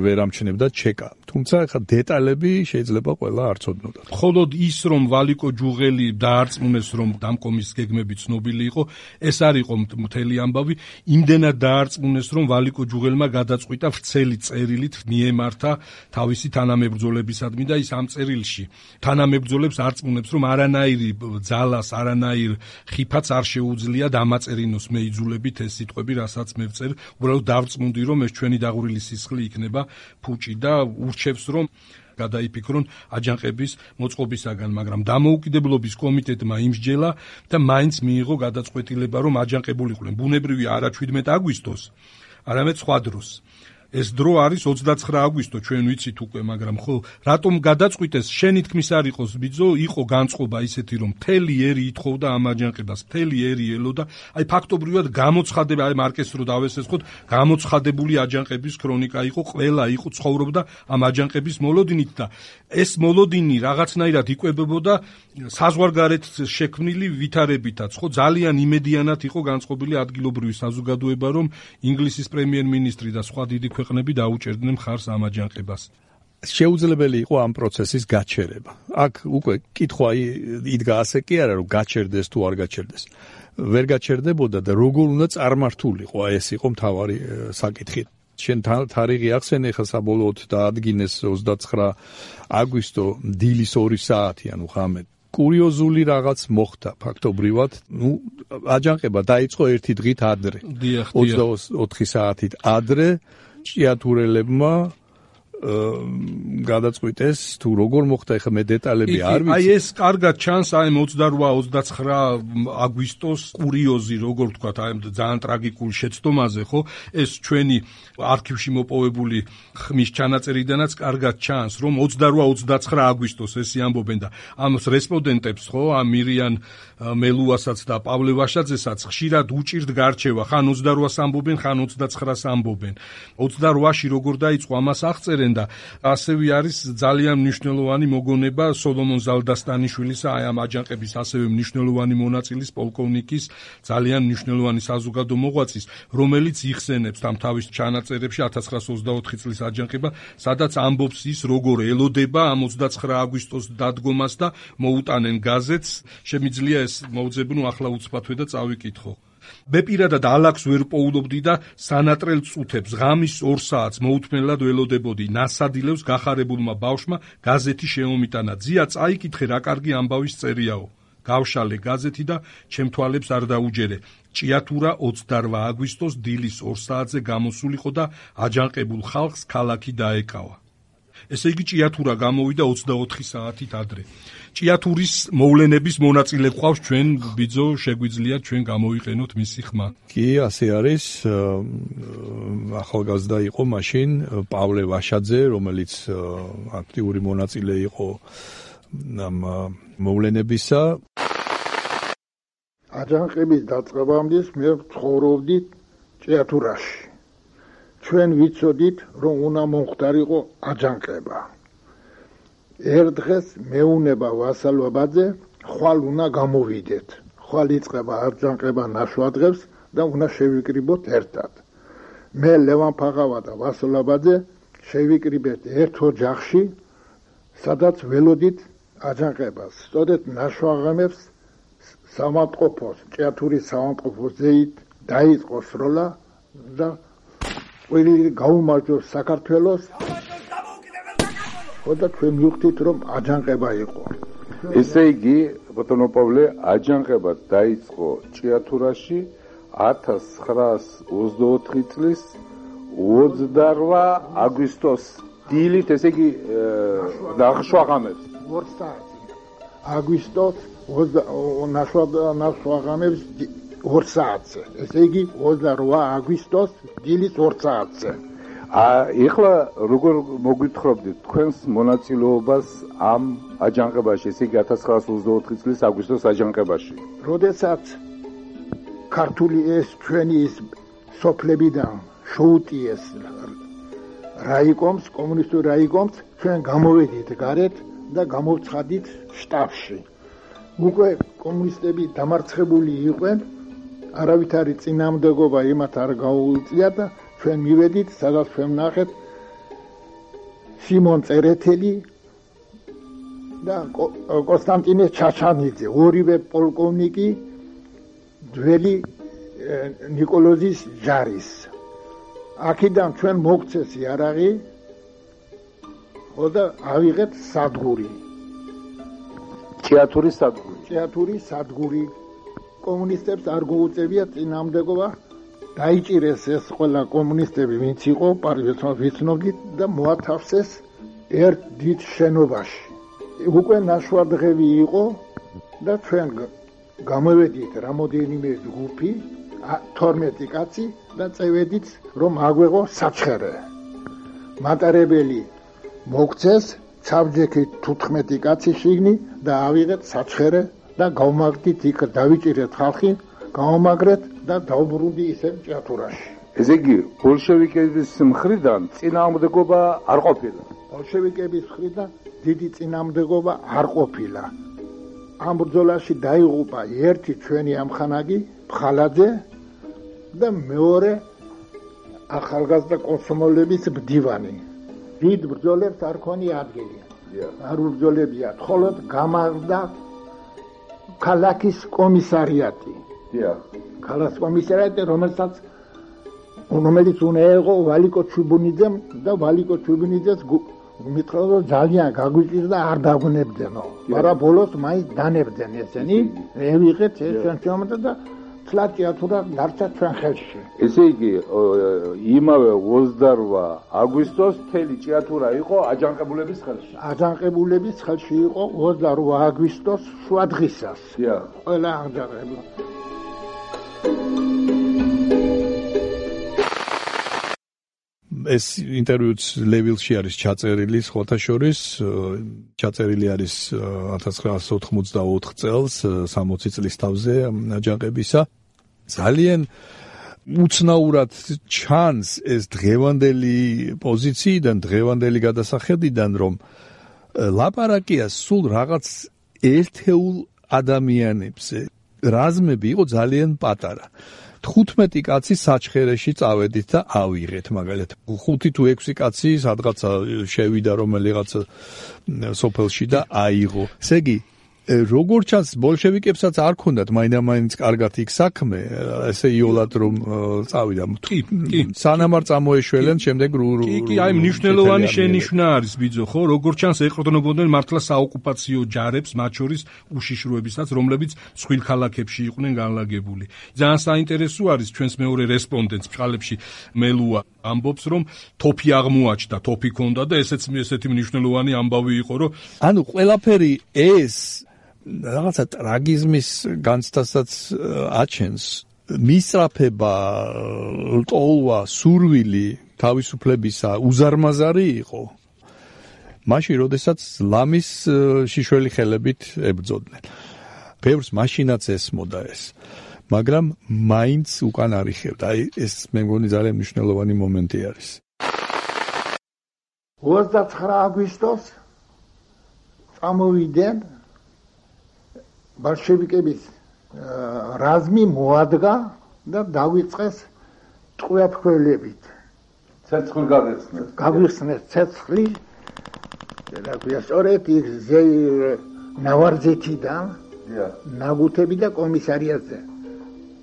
ვერ ამჩნევდა ჩეკა. თუმცა ახლა დეტალები შეიძლება ყველა არ ცოდნოდათ. მხოლოდ ის, რომ ვალიკო ჯუღელი დაარწმუნეს, რომ დამკომის გეგმები ცნობილი იყო, ეს არ იყო მთელი ამბავი. იმდენად დაარწმუნეს, რომ ვალიკო ჯუღელმა გადაწყვიტა ვრცელი წერილით მიემართა თავისი თანამებრძოლებისადმი და ის ამ წერილში თანამებრძოლებს არწმუნებს, რომ არანაირი ძალას, არანაირ ხიფაც არ შეუძლია დამაწერინოს მეიძულებით ეს სიტყვები, რასაც მე ვწერ, უბრალოდ დავწმუნდი, რომ ეს ჩვენი დაღვრილი სისხლი იქნება ფუჭი და ურჩევს, რომ გადაიფიქრონ აჯანყების მოწყობისაგან, მაგრამ დამოუკიდებლობის კომიტეტმა იმსჯელა და მაინც მიიღო გადაწყვეტილება, რომ აჯანყებულიყვნენ ბუნებრივია არა 17 აგვისტოს, არამედ სხვა დროს. ეს დრო არის 29 აგვისტო, ჩვენ ვიცით უკვე, მაგრამ ხო, რატომ გადაწყვიტეს, შენი თქმის არ იყოს, ბიძო, იყო განწყობა ისეთი, რომ მთელი ერი ითხოვდა ამ აჯანყებას, მთელი ერი ელოდა, აი ფაქტობრივად გამოცხადება, აი მარკეს რო დავესესხოთ, გამოცხადებული აჯანყების ქრონიკა იყო, ყველა იყო ცხოვრობდა ამ აჯანყების მოლოდინით და ეს მოლოდინი რაღაცნაირად იკვებებოდა საზღვარგარეთ შექმნილი ვითარებითაც, ხო, ძალიან იმედიანად იყო განწყობილი ადგილობრივი საზოგადოება, რომ ინგლისის პრემიერ-მინისტრი და სხვა დიდი ქვეყნები დაუჭერდნენ მხარს ამ აჯანყებას. შეუძლებელი იყო ამ პროცესის გაჩერება. აქ უკვე კითხვა იდგა ასე კი არა, რომ გაჩერდეს თუ არ გაჩერდეს. ვერ გაჩერდებოდა და როგორ უნდა წარმართულიყო, ეს იყო მთავარი საკითხი. შენ თარიღი ახსენე ხა საბოლოოდ დაადგინეს 29 აგვისტო დილის 2 საათი, ანუ ღამე. კურიოზული რაღაც მოხდა ფაქტობრივად, აჯანყება დაიწყო ერთი დღით ადრე. 24 საათით ადრე ჭიათურელებმა გადაწყვიტეს თუ როგორ მოხდა, ეხლა მე დეტალები არ ვიცი. აი ეს კარგად ჩანს აი 28-29 აგვისტოს კურიოზი, როგორ ვთქვათ, აი ძალიან ტრაგიკულ შეცდომაზე, ხო? ეს ჩვენი არქივში მოპოვებული ხმის ჩანაწერიდანაც კარგად ჩანს, რომ 28-29 აგვისტოს ესე ამბობენ და ამ რესპონდენტებს, ხო, ამ მირიან მელუასაც და პავლე ვაშაძესაც ხშირად უჭირთ გარჩევა, ხან 28-ს ამბობენ, ხან 29-ს ამბობენ. 28-ში როგორ დაიწყო ამას აღწერენ და ასევე არის ძალიან მნიშვნელოვანი მოგონება სოლომონ ზალდასტანიშვილისა, აი ამ აჯანყების ასევე მნიშვნელოვანი მონაწილის პოლკოვნიკის, ძალიან მნიშვნელოვანი საზოგადო მოღვაწის, რომელიც იხსენებს ამ თავის ჩანაწერებში 1924 წლის აჯანყება, სადაც ამბობს ის, როგორ ელოდება ამ 29 აგვისტოს დადგომას და მოუტანენ გაზეთს. შემიძლია ეს მოვძებნო ახლა უცბათვე და წავიკითხო. მე პირადად ალაქს ვერ პოულობდი და სანატრელ წუთებს ღამის 2 საათს მოუთმენლად ველოდებოდი ნასადილევს გახარებულმა ბავშვმა გაზეთი შეომიტანა. ძია წაიკითხე რა კარგი ამბავის წერიაო. გავშალე გაზეთი და ჩემ თვალებს არ დაუჯერე. ჭიათურა 28 აგვისტოს დილის 2 საათზე გამოსულიყო და აჯანყებულ ხალხს ქალაქი დაეკავა. ესე იგი ჭიათურა გამოვიდა 24 საათით ადრე. ჭიათურის მოვლენების მონაწილე ყავს ჩვენ ბიძო, შეგვიძლია ჩვენ გამოვიყენოთ მისი ხმა. კი, ასე არის. ახალგაზრდა იყო მაშინ პავლე ვაშაძე, რომელიც აქტიური მონაწილე იყო ამ მოვლენებისა. აჯანყების დაწყებამდე მე ცხოვრობდი ჭიათურაში. ჩვენ ვიცოდით, რომ უნდა მომხდარიყო აჯანყება. ერთ დღეს მეუნება ვასალობაძე, ხვალ უნდა გამოვიდეთ. ხვალ იწყება აჯანყება ნაშვადღებს და უნდა შევიკრიბოთ ერთად. მე ლევან ფაღავა და ვასალობაძე შევიკრიბეთ ერთ ოჯახში, სადაც ველოდით აჯანყებას. სწორედ ნაშვაღამებს სამავტყოფოს, ჭიათურის სამავტყოფოს ზეით დაიწყო სროლა და ყველი გაუმარჯოს საქართველოს. ხოდა ჩვენ მივხვდით, რომ აჯანყება იყო. ესე იგი, ბატონო პავლე, აჯანყება დაიწყო ჭიათურაში 1924 წლის 28 აგვისტოს დილით, ესე იგი ნაშვაღამებს. 2 საათი. აგვისტოს ნაშვაღამებს 2 საათზე. ესე იგი 28 აგვისტოს დილის 2 საათზე. ეხლა როგორ მოგვითხრობდით თქვენს მონაწილეობას ამ აჯანყებაში, ესე იგი 1924 წლის აგვისტოს აჯანყებაში? როდესაც ქართული ეს ჩვენი ის სოფლებიდან შოუტიეს რაიკომს, კომუნისტურ რაიკომს, ჩვენ გამოვედით გარეთ და გამოვცხადით შტაბში. უკვე კომუნისტები დამარცხებული იყვნენ, არავითარი წინააღმდეგობა იმათ არ გაუწია და ჩვენ მივედით, სადაც ჩვენ ვნახეთ სიმონ წერეთელი და კონსტანტინე ჩაჩანიძე, ორივე პოლკოვნიკი ძველი ნიკოლოზის ჯარის. აქედან ჩვენ მოგცეს იარაღი, ხოდა ავიღეთ სადგური. ჭიათურის სადგური. ჭიათურის სადგური. კომუნისტებს არ გაუწევია წინააღმდეგობა. დაიჭირეს ეს ყველა კომუნისტები, ვინც იყო, ვიცნობდით და მოათავსეს ერთ დიდ შენობაში. უკვე ნაშვადღები იყო და ჩვენ გამოვედით რამოდენიმე ჯგუფი, 12 კაცი და წევედით, რომ აგვეღო საჩხერე. მატარებელი მოგცეს, საბჯექით 15 კაცი შიგნი და ავიღეთ საჩხერე და გავმაგდით იქ, დავიჭირეთ ხალხი, გავამაგრეთ და დავბრუნდი ისევ ჭიათურაში. ესე იგი, ბოლშევიკების მხრიდან წინააღმდეგობა არ ყოფილა. ბოლშევიკების მხრიდან დიდი წინააღმდეგობა არ ყოფილა. ამ ბრძოლაში დაიღუპა ერთი ჩვენი ამხანაგი ფხალაძე და მეორე ახალგაზრდა კომსომოლების მდივანი. დიდ ბრძოლებს არ ქონია ადგილი. არ უბრძოლებია, მხოლოდ გამარდა ქალაქის კომისარიატი. ქალაქის კომისარიატი, რომელიც უნდა იყო ვალიკო ჩუბუნიძემ და ვალიკო ჩუბუნიძეს მითხრა რომ ძალიან გაგვიჭირდა არ დაგვნებდნო. მაგრამ ბოლოს მაინც დანებდნენ ესენი. ევიღეთ ეს ჩვენამდე და თლატიათურა დარჩა ჩვენ ხელში. ესე იგი იმავე 28 აგვისტოს მთელი ჭიათურა იყო აჯანყებულების ხელში. აჯანყებულების ხელში იყო 28 აგვისტოს შუა დღისას. ყველა აჯანყებული. ეს ინტერვიუც ლევილში არის ჩაწერილი, სხვათა შორის ჩაწერილი არის 1984 წელს 60 წლის თავზე აჯანყებისა. ძალიან უცნაურად ჩანს ეს დღევანდელი პოზიციიდან, დღევანდელი გადასახედიდან, რომ ლაპარაკია სულ რაღაც ერთეულ ადამიანებზე. რაზმები იყო ძალიან პატარა. 15 კაცი საჩხერეში წავედით და ავიღეთ მაგალითად. 5 თუ 6 კაცი სადღაცა შევიდა რომელიღაც სოფელში და აიღო. ესე იგი როგორც ჩანს ბოლშევიკებსაც არ ქონდათ მაინდა-მაინც კარგად იქ საქმე, ესე იოლად რომ წავიდა. სანამ არ წამოეშველენ შემდეგ კი, აი მნიშვნელოვანი შენიშვნა არის ბიძო, ხო? როგორც ჩანს ეყრდნობოდნენ მართლა საოკუპაციო ჯარებს, მათ შორის უშიშროებისაც, რომლებიც მსხვილ ქალაქებში იყვნენ განლაგებული. ძალიან საინტერესო არის ჩვენს მეორე რესპონდენტს ფშალებში მელუა ამბობს, რომ თოფი აღმოაჩნდა, თოფი ქონდა და ესეთი მნიშვნელოვანი ამბავი იყო, რომ ანუ ყველაფერი ეს რაღაცა ტრაგიზმის განცდასაც აჩენს. მისწრაფება, ლტოლვა, სურვილი თავისუფლებისა უზარმაზარი იყო. მაშინ, როდესაც ლამის შიშველი ხელებით ებრძოდნენ. ბევრს მაშინაც ესმოდა ეს. მაგრამ მაინც უკან არიხევდა. აი ეს მე მგონი ძალიან მნიშვნელოვანი მომენტი არის. 29 აგვისტოს წამოვიდნენ ბოლშევიკების რაზმი მოადგა და დავიწყეს ტყვეაფრქვევებით. ცეცხლი გაგიხსნეს. გაგიხსნეს ცეცხლი. და ქვია სწორედ ის ნავარძეთიდან ნაგუთები და კომისარიატზე.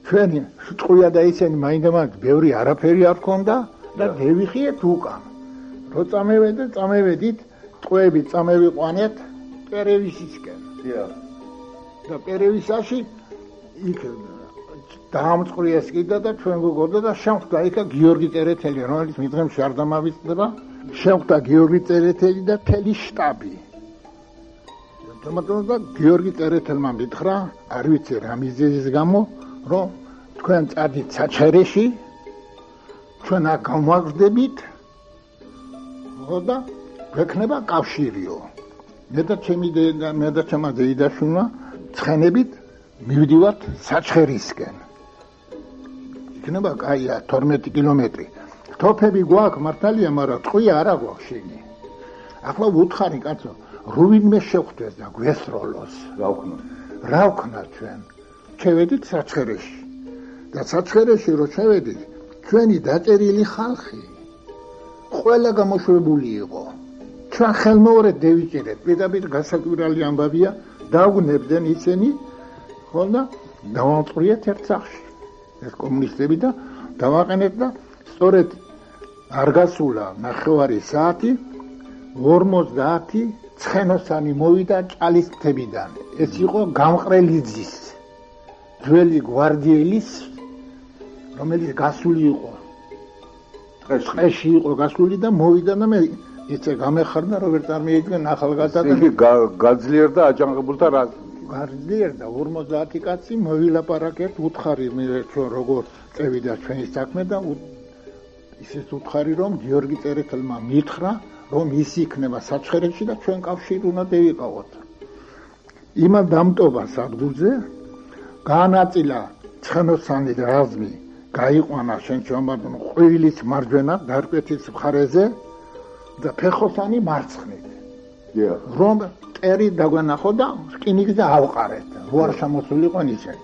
ჩვენი ტყვია და ისინი მაინდა-მაინც ბევრი არაფერი არ ქონდა და დევიხიეთ უკან. რო წამევედით ტყვეები წამევიყვანეთ პერევისისკენ. და პერევისაში იქ დაამწყრიეს კიდე და ჩვენ გქონდა და შემხვდა იქა გიორგი წერეთელი, რომელიც მიდღემში არ დამავიწყდება. შემხვდა გიორგი წერეთელი და მთელი შტაბი. თუმცა გიორგი წერეთელმა მითხრა, არ ვიცი რა მიზეზის გამო, რომ თქვენ წადით საჩხერეში, ჩვენ აქ გამვაგრძდებით და გვექნება კავშირიო. მე და ჩემი დეიდაშვილმა ცხენებით მივდივართ საჩხერისკენ. იქნება კაია 12 კილომეტრი. თოფები გვაქვს მართალია, მაგრამ ტყვია არა გვაქვს შენი. ახლა ვუთხარი კაცო, რუვინმე შევხვდეს და გვესროლოს. რა ვქნა ჩვენ? შევედით საჩხერეში. და საჩხერეში რო შევედით, ჩვენი დაწერილი ხალხი ყველა გამოშვებული იყო. ჩვენ ხელმეორედ დევიჭირეთ, პირდაპირ გასაკვირველი ამბავია, დაგვნებდნენ ისინი, ხო და დავამწყრიეთ ერთ სახლში. ეს კომუნისტები და დავაყენეთ და სწორედ არ გასულა 9 საათი 50 ცხენოსანი მოვიდა ჭალის მთებიდან. ეს იყო გამყრელიძის ძველი გვარდიელის, რომელიც გასული იყო. ტყეში იყო გასული და მოვიდა და მე იცი გამეხარდა რომ ვერ წარმოიდგენ ახალგაზრდა გაძლიერდა აჯანყებულთა რაზმი. გაძლიერდა 50 კაცი მოვილაპარაკეთ, უთხარი მე ჩვენ როგორ წევიდა ჩვენი საქმე და ისიც უთხარი რომ გიორგი წერეთელმა მითხრა რომ ის იქნება საჩხერეში და ჩვენ კავშირი უნდა დავიყავოთ. იმან დამტოვა სადგურზე, გაანაწილა ცხენოსანი რაზმი, გაიყვანა შენჩომადონ ყვივილის მარჯვენა დარკვეთის მხარეზე და ფეხოსანი მარცხნით. რომ ტერი დაგვანახო და რკინიგზა ავყარეთ. როარ შემოსულიყო ისინი.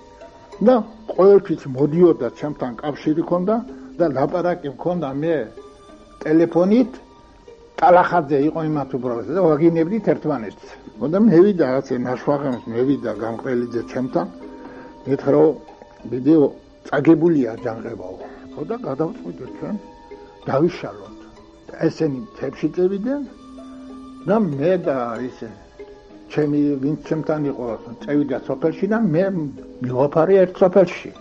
და ყოველთვის მოდიოდა ჩემთან კავშირი ქონდა და ლაპარაკი მქონდა მე ტელეფონით ტალახაძე იყო იმათ უბრალოდ და ვაგინებდით ერთმანეთს. და მევიდა რაღაცა ნაშვაღებს მევიდა გამყრელიძე ჩემთან. მეთხრა რომ ვიდეო წაგებულია აჯანყებაო. და გადავწყვიტეთ ჩვენ დავიშალოთ. ესენი თებში წევიდნენ და მე და ისე ჩემი ვინც ჩემთან იყო წევიდა სოფელში და მე მივაფარე ერთ სოფელში.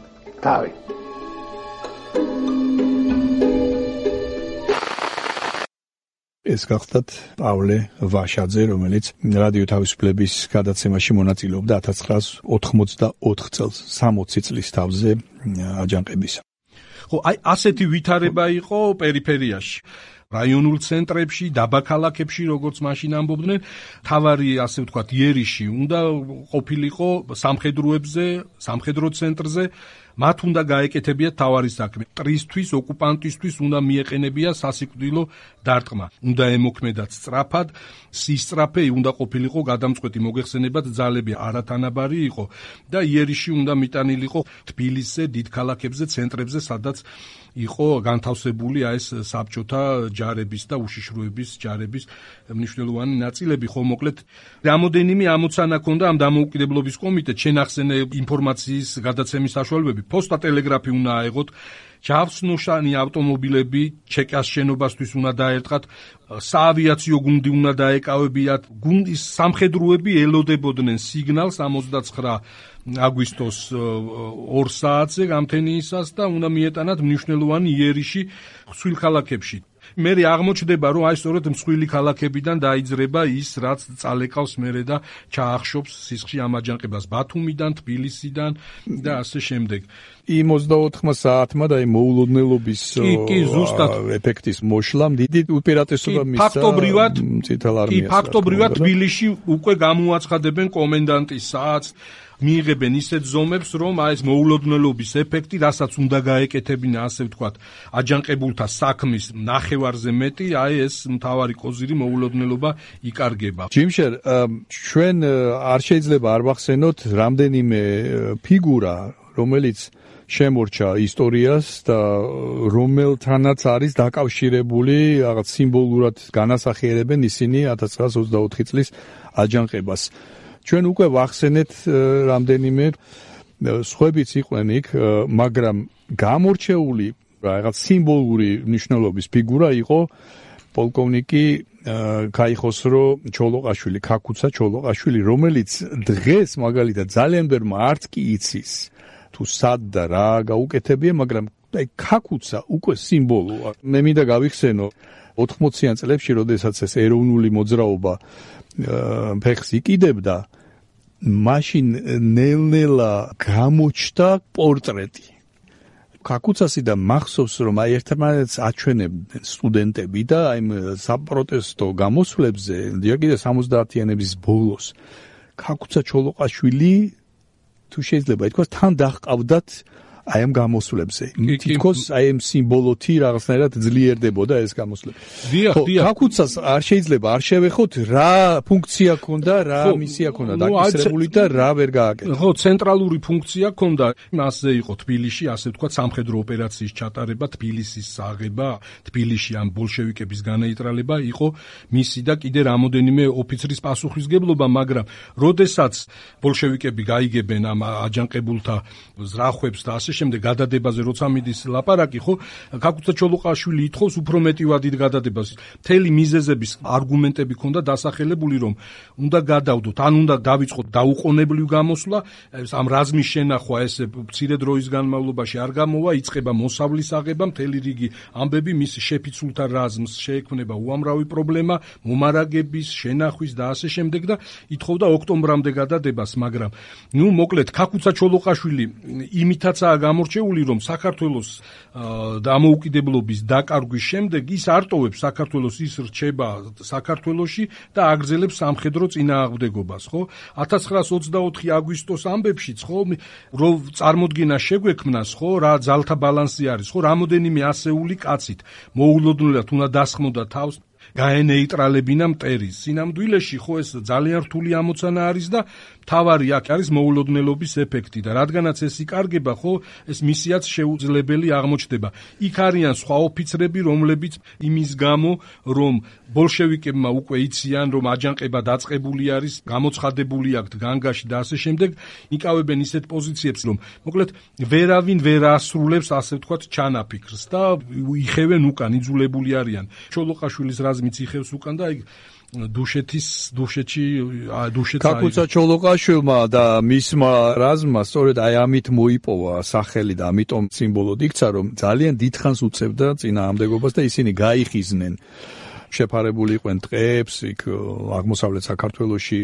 თავი. ეს გახდათ პავლე ვაშაძე, რომელიც რადიო თავისუფლების გადაცემაში მონაწილეობდა 1984 წელს, 60 წლის თავზე აჯანყებისა. ხო, აი ასეთი ვითარება იყო პერიფერიაში. რაიონულ ცენტრებში, დაბაქალაქებში, როგორც მაშინ ამბობდნენ, თავარი, ასე ვთქვათ, იერიში უნდა ყოფილიყო სამხედროებზე, სამხედრო ცენტრზე, მათ უნდა გაეკეთებიათ თავარი საქმე. მტრისთვის, ოკუპანტისთვის უნდა მიეყენებია სასიკვდილო დარტყმა. უნდა ემოქმედათ სწრაფად, სისწრაფე უნდა ყოფილიყო გადამწყვეტი მოგეხსენებათ ძალები არათანაბარი იყო და იერიში უნდა მიტანილიყო თბილისზე, დიდ ქალაქებზე, ცენტრებზე, სადაც იყო განთავსებული ეს საბჭოთა ჯარების და უშიშროების ჯარების მნიშვნელოვანი ნაწილები. ხო, მოკლედ, რამოდენიმე ამოცანა ჰქონდა ამ დამოუკიდებლობის კომიტეტს, შენახსენე ინფორმაციის გადაცემის საშუალებები, პოსტა ტელეგრაფი უნდა აეღოთ, ჯავსნოშანი ავტომობილები ჩეკას შენობასთვის უნდა დაერტყათ, საავიაციო გუნდი უნდა დაეკავებიათ, გუნდის სამხედროები ელოდებოდნენ სიგნალს 29 აგვისტოს 2 საათზე გამთენიისას და უნდა მიეტანათ მნიშვნელოვანი იერიში ხსვილ ქალაქებში. მე აღმოჩნდება, რომ აი სწორედ მსხვილი ქალაქებიდან დაიძრება ის, რაც წალეკავს მერე და ჩაახშობს სისხლში ამ აჯანყებას ბათუმიდან, თბილისიდან და ასე შემდეგ. იმ 24 საათმა და იმ მოულოდნელობის ეფექტის მოშლამ დიდი უპირატესობა მისცა წითელ არმიას. კი, ფაქტობრივად თბილისში უკვე გამოაცხადებენ კომენდანტის საათს, მიიღებენ ისეთ ზომებს, რომ აი ეს მოულოდნელობის ეფექტი, რასაც უნდა გაეკეთებინა, ასე ვთქვათ, აჯანყებულთა საქმის ნახევარზე მეტი, აი ეს მთავარი კოზირი მოულოდნელობა იკარგება. ჯიმშერ, ჩვენ არ შეიძლება არ ვახსენოთ რამდენიმე ფიგურა, რომელიც შემორჩა ისტორიას და რომელთანაც არის დაკავშირებული, რაღაც სიმბოლურად განასახიერებენ ისინი 1924 წლის აჯანყებას. ჩვენ უკვე ვახსენეთ რამდენიმე სხვებიც იყვნენ იქ, მაგრამ გამორჩეული რაღაც სიმბოლური მნიშვნელობის ფიგურა იყო პოლკოვნიკი ქაიხოსრო ჩოლოყაშვილი, ქაქუცა ჩოლოყაშვილი, რომელიც დღეს მაგალითად ძალიან ბევრმა არც კი იცის თუ სად და რა გაუკეთებია, მაგრამ აი ქაქუცა უკვე სიმბოლოა. მე მინდა გავიხსენო 80-იან წლებში, როდესაც ეს ეროვნული მოძრაობა ფეხს იკიდებდა, მაშინ ნელ-ნელა გამოჩნდა პორტრეტი. ქაქუცასი და მახსოვს, რომ აი ერთმანეთს აჩვენებდნენ სტუდენტები და აი საპროტესტო გამოსვლებზე, ჯერ კიდევ 70-იანების ბოლოს, ქაქუცა ჩოლოყაშვილი, თუ შეიძლება ითქვას, თან დაჰყავდათ აი ამ გამოსვლებზე. თითქოს აი ამ სიმბოლოთი რაღაცნაირად ძლიერდებოდა ეს გამოსვლები. დიახ. ქაქუცას არ შეიძლება არ შევეხოთ რა ფუნქცია ჰქონდა, რა მისია ჰქონდა დაკისრებული და რა ვერ გააკეთა. ხო, ცენტრალური ფუნქცია ჰქონდა. მასზე იყო თბილისში, ასე ვთქვათ, სამხედრო ოპერაციის ჩატარება, თბილისის აღება, თბილისში ამ ბოლშევიკების განეიტრალება იყო მისი და კიდე რამოდენიმე ოფიცრის პასუხისგებლობა, მაგრამ როდესაც ბოლშევიკები გაიგებენ ამ აჯანყებულთა ზრახვებს და ასე შემდეგ გადადებაზე როცა მიდის ლაპარაკი, ხო, ქაქუცა ჩოლოყაშვილი ითხოვს უფრო მეტი ვადით გადადებას. მთელი მიზეზების არგუმენტები ჰქონდა დასახელებული, რომ უნდა გადავდოთ, ან უნდა დავიწყოთ დაუყოვნებლივ გამოსვლა, ამ რაზმის შენახვა ეს მცირე დროის განმავლობაში არ გამოვა, იწყება მოსავლის აღება, მთელი რიგი ამბები მის შეფიცულთა რაზმს შეექმნება უამრავი პრობლემა, მომარაგების, შენახვის და ასე შემდეგ და ითხოვდა ოქტომბრამდე გადადებას, მაგრამ ნუ მოკლედ ქაქუცა ჩოლოყაშვილი იმითაცაა გამორჩეული, რომ საქართველოს დამოუკიდებლობის დაკარგვის შემდეგ ის არტოვებს საქართველოს, ის რჩება საქართველოში და აგრძელებს სამხედრო წინააღმდეგობას, ხო? 1924 აგვისტოს ამბებშიც, ხო, რომ წარმოდგენა შეგვექმნას, ხო, რა ძალთა ბალანსი არის, ხო, რამოდენიმე ასეული კაცით მოულოდნელად უნდა დასხმოდა თავს გაენეიტრალებინა მტერის. სინამდვილეში ხო ეს ძალიან რთული ამოცანა არის და თავარი აქ არის მოულოდნელობის ეფექტი და რადგანაც ეს იკარგება, ხო, ეს მისიაც შეუძლებელი აღმოჩნდება. იქ არიან სხვა ოფიცრები, რომლებიც იმის გამო, რომ ბოლშევიკებმა უკვე იციან, რომ აჯანყება დაწყებული არის, გამოცხადებული აქვთ განგაში და ასე შემდეგ, იკავებენ ისეთ პოზიციებს, რომ მოკლედ ვერავინ ვერ ასრულებს, ასე ვთქვათ, ჩანაფიქრს და იხევენ უკან, იძულებული არიან. ჩოლოყაშვილის რაზმიც იხევს უკან და დუშეთში კაკუცა ჩოლოყაშვილმა და მისმა რაზმმა სწორედ აი ამით მოიპოვა სახელი და ამიტომ სიმბოლოდ იქცა, რომ ძალიან დიდხანს უწევდა წინააღმდეგობას და ისინი გაიხიზნენ. შეფარებული იყვნენ ტყეებს, იქ აღმოსავლეთ საქართველოში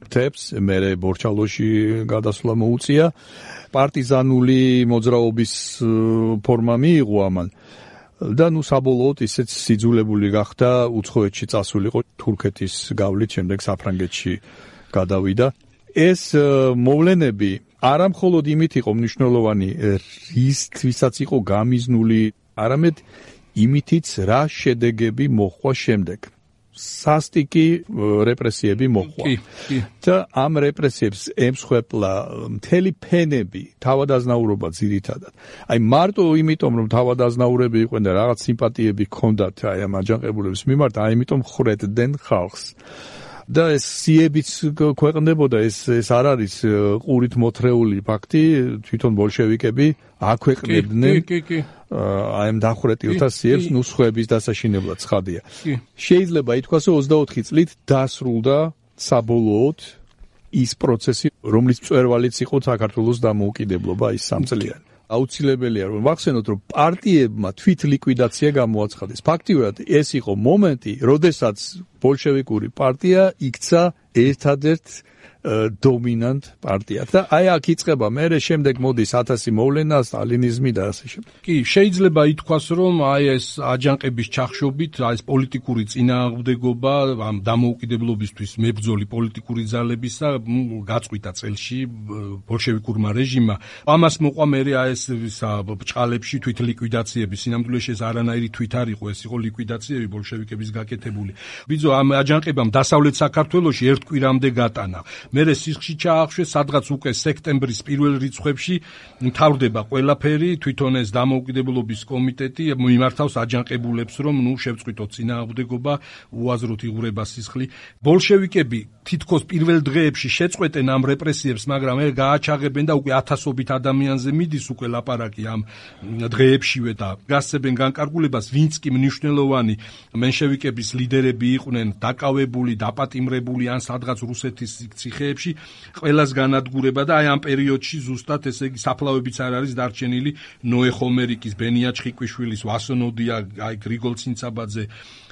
მთებს, მერე ბორჩალოში გადასვლა მოუწია. პარტიზანული მოძრაობის ფორმა მიიღო ამან. და საბოლოოდ ისეც სიძულებული გახდა უცხოეთში წასულიყო თურქეთის გავლით, შემდეგ საფრანგეთში გადავიდა. ეს მოვლენები არა მხოლოდ იმით იყო მნიშვნელოვანი, რისთვისაც იყო გამიზნული, არამედ იმითიც რა შედეგები მოჰყვა შემდეგ. სასტიკი რეპრესიები მოჰყვა. და ამ რეპრესიებს ემსხვერპლა მთელი ფენები, თავადაზნაურობა ძირითადად. აი მარტო იმიტომ, რომ თავადაზნაურები იყვნენ და რაღაც სიმპათიები ჰქონდათ აი ამ აჯანყებულების მიმართ, აი იმიტომ ხრედდნენ ხალხს. და ეს სიებიც ქვეყნდებოდა, ეს არ არის ყურით მოთრეული ფაქტი, თვითონ ბოლშევიკები აქვეყნებდნენ აი ამ დახვრეტილთა სიებს, სხვების დასაშინებლად ცხადია. შეიძლება ითქვას, რომ 24 წლით დასრულდა საბოლოოდ ის პროცესი, რომლის მწვერვალიც იყო საქართველოს დამოუკიდებლობა, ის 3 წლიანი. აუცილებელია რომ ვახსენოთ, რომ პარტიებმა თვით ლიკვიდაცია გამოაცხადეს. ფაქტიურად ეს იყო მომენტი, როდესაც ბოლშევიკური პარტია იქცა ერთადერთ დომინანტ პარტიად. და აი აქ იწყება მერე შემდეგ მოდის 1000 მოვლენა, სტალინიზმი და ასე შემდეგ. კი, შეიძლება ითქვას, რომ აი ეს აჯანყების ჩახშობით, აი ეს პოლიტიკური წინააღმდეგობა ამ დამოუკიდებლობისთვის მებრძოლი პოლიტიკური ძალებისა გაწყვიტა წელში ბოლშევიკურმა რეჟიმმა. ამას მოყვა მერე აი ეს ბჭყალებში თვით ლიკვიდაციები. სინამდვილეში ეს არანაირი თვით არ იყო, ეს იყო ლიკვიდაციები ბოლშევიკების გაკეთებული. ბიძო ამ აჯანყებამ დასავლეთ საქართველოში ერთ კვირამდე გატანა. მერე სისხლში ჩაახშვეს, სადღაც უკვე სექტემბრის პირველ რიცხვებში მთავრდება ყველაფერი, თვითონ ეს დამოუკიდებლობის კომიტეტი მიმართავს აჯანყებულებს, რომ შევწყვიტოთ წინააღმდეგობა, უაზროთ იღურება სისხლი. ბოლშევიკები თითქოს პირველ დღეებში შეწყვეტენ ამ რეპრესიებს, მაგრამ გააჩაღებენ და უკვე ათასობით ადამიანზე მიდის უკვე ლაპარაკი ამ დღეებშივე და გასცემენ განკარგულებას, ვინც კი მნიშვნელოვანი მენშევიკების ლიდერები იყვნენ დაკავებული, დაპატიმრებული ან სადღაც რუსეთის ციხეებში, ყველას განადგურება და აი ამ პერიოდში ზუსტად ესე იგი საფლავებიც არ არის დარჩენილი ნოე ხომერიკის, ბენია ჩხიკვიშვილის, ვასონოდია, აი გრიგოლ ცინცაბაძე,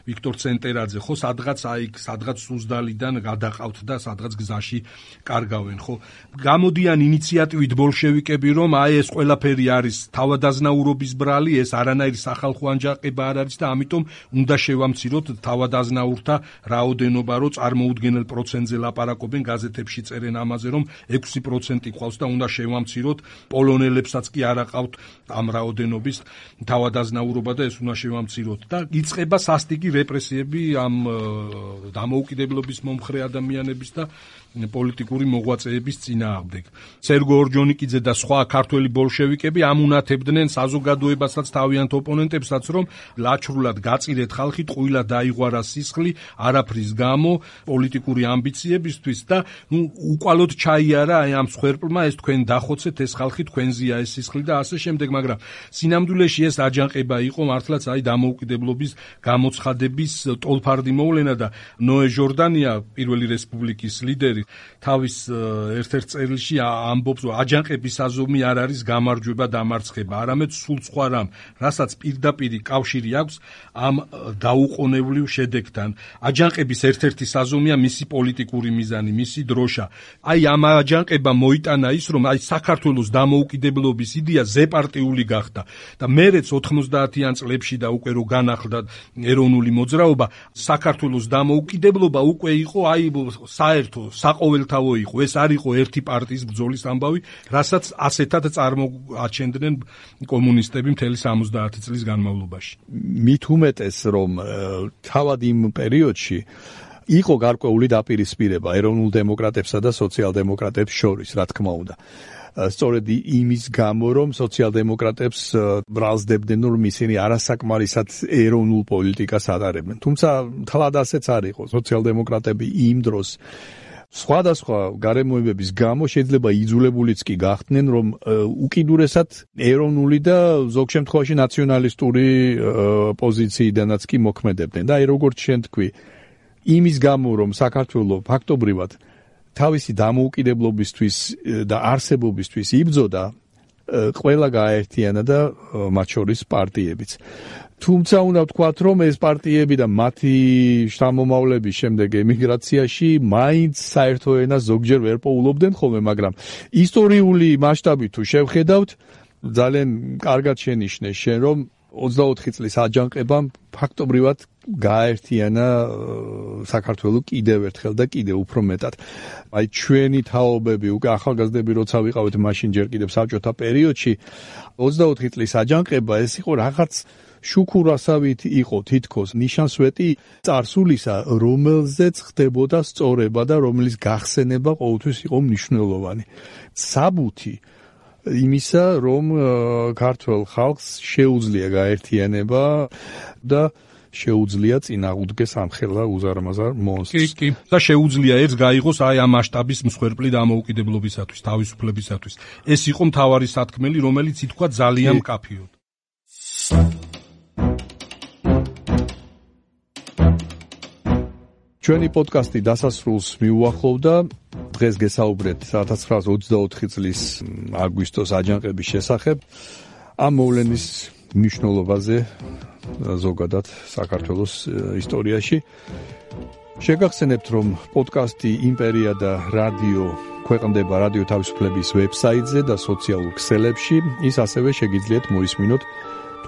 ვიქტორ ცენტერაძე, ხო, სადღაც სუზდალიდან გადაყავთ და სადღაც გზაში კარგავენ, ხო. გამოდიან ინიციატივით ბოლშევიკები, რომ აი ეს ყველაფერი არის თავადაზნაურობის ბრალი, ეს არანაირი სახალხო აჯანყება არ არის და ამიტომ უნდა შევამციროთ თავადაზნაურთა რაოდენობა, რომ წარმოუდგენელ პროცენტზე ლაპარაკობენ, გაზეთებში წერენ ამაზე, რომ 6% ყავს და უნდა შევამციროთ, პოლონელებსაც კი არ აყავთ ამ რაოდენობის თავადაზნაურობა და ეს უნდა შევამციროთ და იწყება სასტიკი რეპრესიები ამ დამოუკიდებლობის მომხრე ადამიანების და პოლიტიკური მოღვაწეების წინააღმდეგ. სერგო ორჯონიკიძე და სხვა ქართველი ბოლშევიკები ამუნათებდნენ საზოგადოებასაც, თავიანთ ოპონენტებსაც, რომ ლაჩრულად გაწირეთ ხალხი, ტყუილად დაიღვარა სისხლი, არაფრის გამო, პოლიტიკური ამბიციებისთვის და უკვალოდ ჩაიარა აი ამ მსხვერპლმა, ეს თქვენ დახოცეთ, ეს ხალხი თქვენზეა ეს სისხლი და ასე შემდეგ, მაგრამ სინამდვილეში ეს აჯანყება იყო მართლაც აი დამოუკიდებლობის გამოცხადების ტოლფარდი მოვლენა და ნოე ჟორდანია, პირველი რესპუბლიკის ლიდერი, თავის ერთ-ერთ წერილში ამბობს, რომ აჯანყების აზომი არ არის გამარჯვება დამარცხება, არამედ სულ სხვა რამ, რასაც პირდაპირი კავშირი აქვს ამ დაუყოვნებლივ შედეგთან. აჯანყების ერთ-ერთი საზომია მისი პოლიტიკური მიზანი, მისი დროშა. აი ამ აჯანყებამ მოიტანა ის, რომ აი საქართველოს დამოუკიდებლობის იდეა ზეპარტიული გახდა და მერეც 90-იან წლებში და უკვე რო განახლდა ეროვნული მოძრაობა, საქართველოს დამოუკიდებლობა უკვე იყო საერთო, საყოველთაო იყო. ეს არ იყო ერთი პარტიის ბრძოლის ამბავი, რასაც ასეთად წარმოაჩენდნენ კომუნისტები მთელი 70 წლის განმავლობაში. მით უმეტეს, რომ თავად იმ პერიოდში იყო გარკვეული დაპირისპირება ეროვნულ დემოკრატებსა და სოციალ-დემოკრატებს შორის, რა თქმა უნდა. სწორედ იმის გამო, რომ სოციალ-დემოკრატებს ბრალსდებდნენ, რომ ისინი არასაკმარისად ეროვნულ პოლიტიკას ატარებენ. თუმცა თლად ასეც არ იყო. სოციალ-დემოკრატები იმ დროს სხვადასხვა გარემოებების გამო შეიძლება იძულებულიც კი გახდნენ, რომ უკიდურესად ეროვნული და ზოგ შემთხვევაში ნაციონალისტური პოზიციიდანაც კი მოქმედებდნენ. და როგორც შენ თქვი, იმის გამო, რომ საქართველო ფაქტობრივად თავისი დამოუკიდებლობისთვის და არსებობისთვის იბრძოდა, ყველა გააერთიანა და მათ შორის პარტიებიც. თუმცა უნდა ვთქვათ, რომ ეს პარტიები და მათი შთამომავლების შემდეგ ემიგრაციაში მაინც საერთო ენას ზოგჯერ ვერ პოულობდნენ ხოლმე, მაგრამ ისტორიული მასშტაბით თუ შევხედავთ, ძალიან კარგად შენიშნე შენ, რომ 24 წლის აჯანყებამ ფაქტობრივად გააერთიანა საქართველო კიდევ ერთხელ და კიდევ უფრო მეტად. აი ჩვენი თაობები, უკვე ახალგაზრდები როცა ვიყავით მაშინ ჯერ კიდევ საბჭოთა პერიოდში, 24 წლის აჯანყება ეს იყო რაღაც შუქურასავით იყო თითქოს ნიშანსვეტი წარსულისა, რომელზეც ხდებოდა სწორება და რომლის გახსენება ყოველთვის იყო მნიშვნელოვანი. საბუთი იმისა, რომ ქართველ ხალხს შეუძლია გაერთიანება და შეუძლია წინააღმდეგეს ამხელა უზარმაზარ მონსტრს. კი. და შეუძლია ერთს გაიღოს აი ამ მასშტაბის მსხვერპლი დამოუკიდებლობისათვის, თავისუფლებისათვის. ეს იყო მთავარი სათქმელი, რომელიც ითქვა ძალიან მკაფიოდ. ჩვენი პოდკასტი დასასრულს მიუახლოვდა. დღეს გესაუბრეთ 1924 წლის აგვისტოს აჯანყების შესახებ. ამ მოვლენის მნიშვნელობაზე ზოგადად საქართველოს ისტორიაში. შეგახსენებთ, რომ პოდკასტი იმპერია და რადიო ქვეყნდება რადიო თავისუფლების ვებსაიტზე და სოციალურ ქსელებში. ის ასევე შეგიძლიათ მოისმინოთ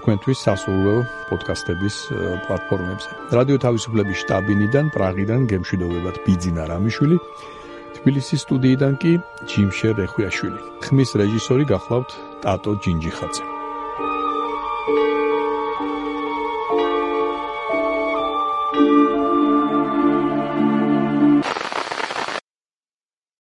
თქვენთვის სასურველ პოდკასტების პლატფორმებზე. რადიო თავისუფლების შტაბინიდან, პრაღიდან გემშვიდობებათ ბიძინა რამიშვილი, თბილისის სტუდიიდან კი ჯიმშე რეხვიაშვილი. ხმის რეჟისორი გახლავთ ტატო ჯინჯიხაძე.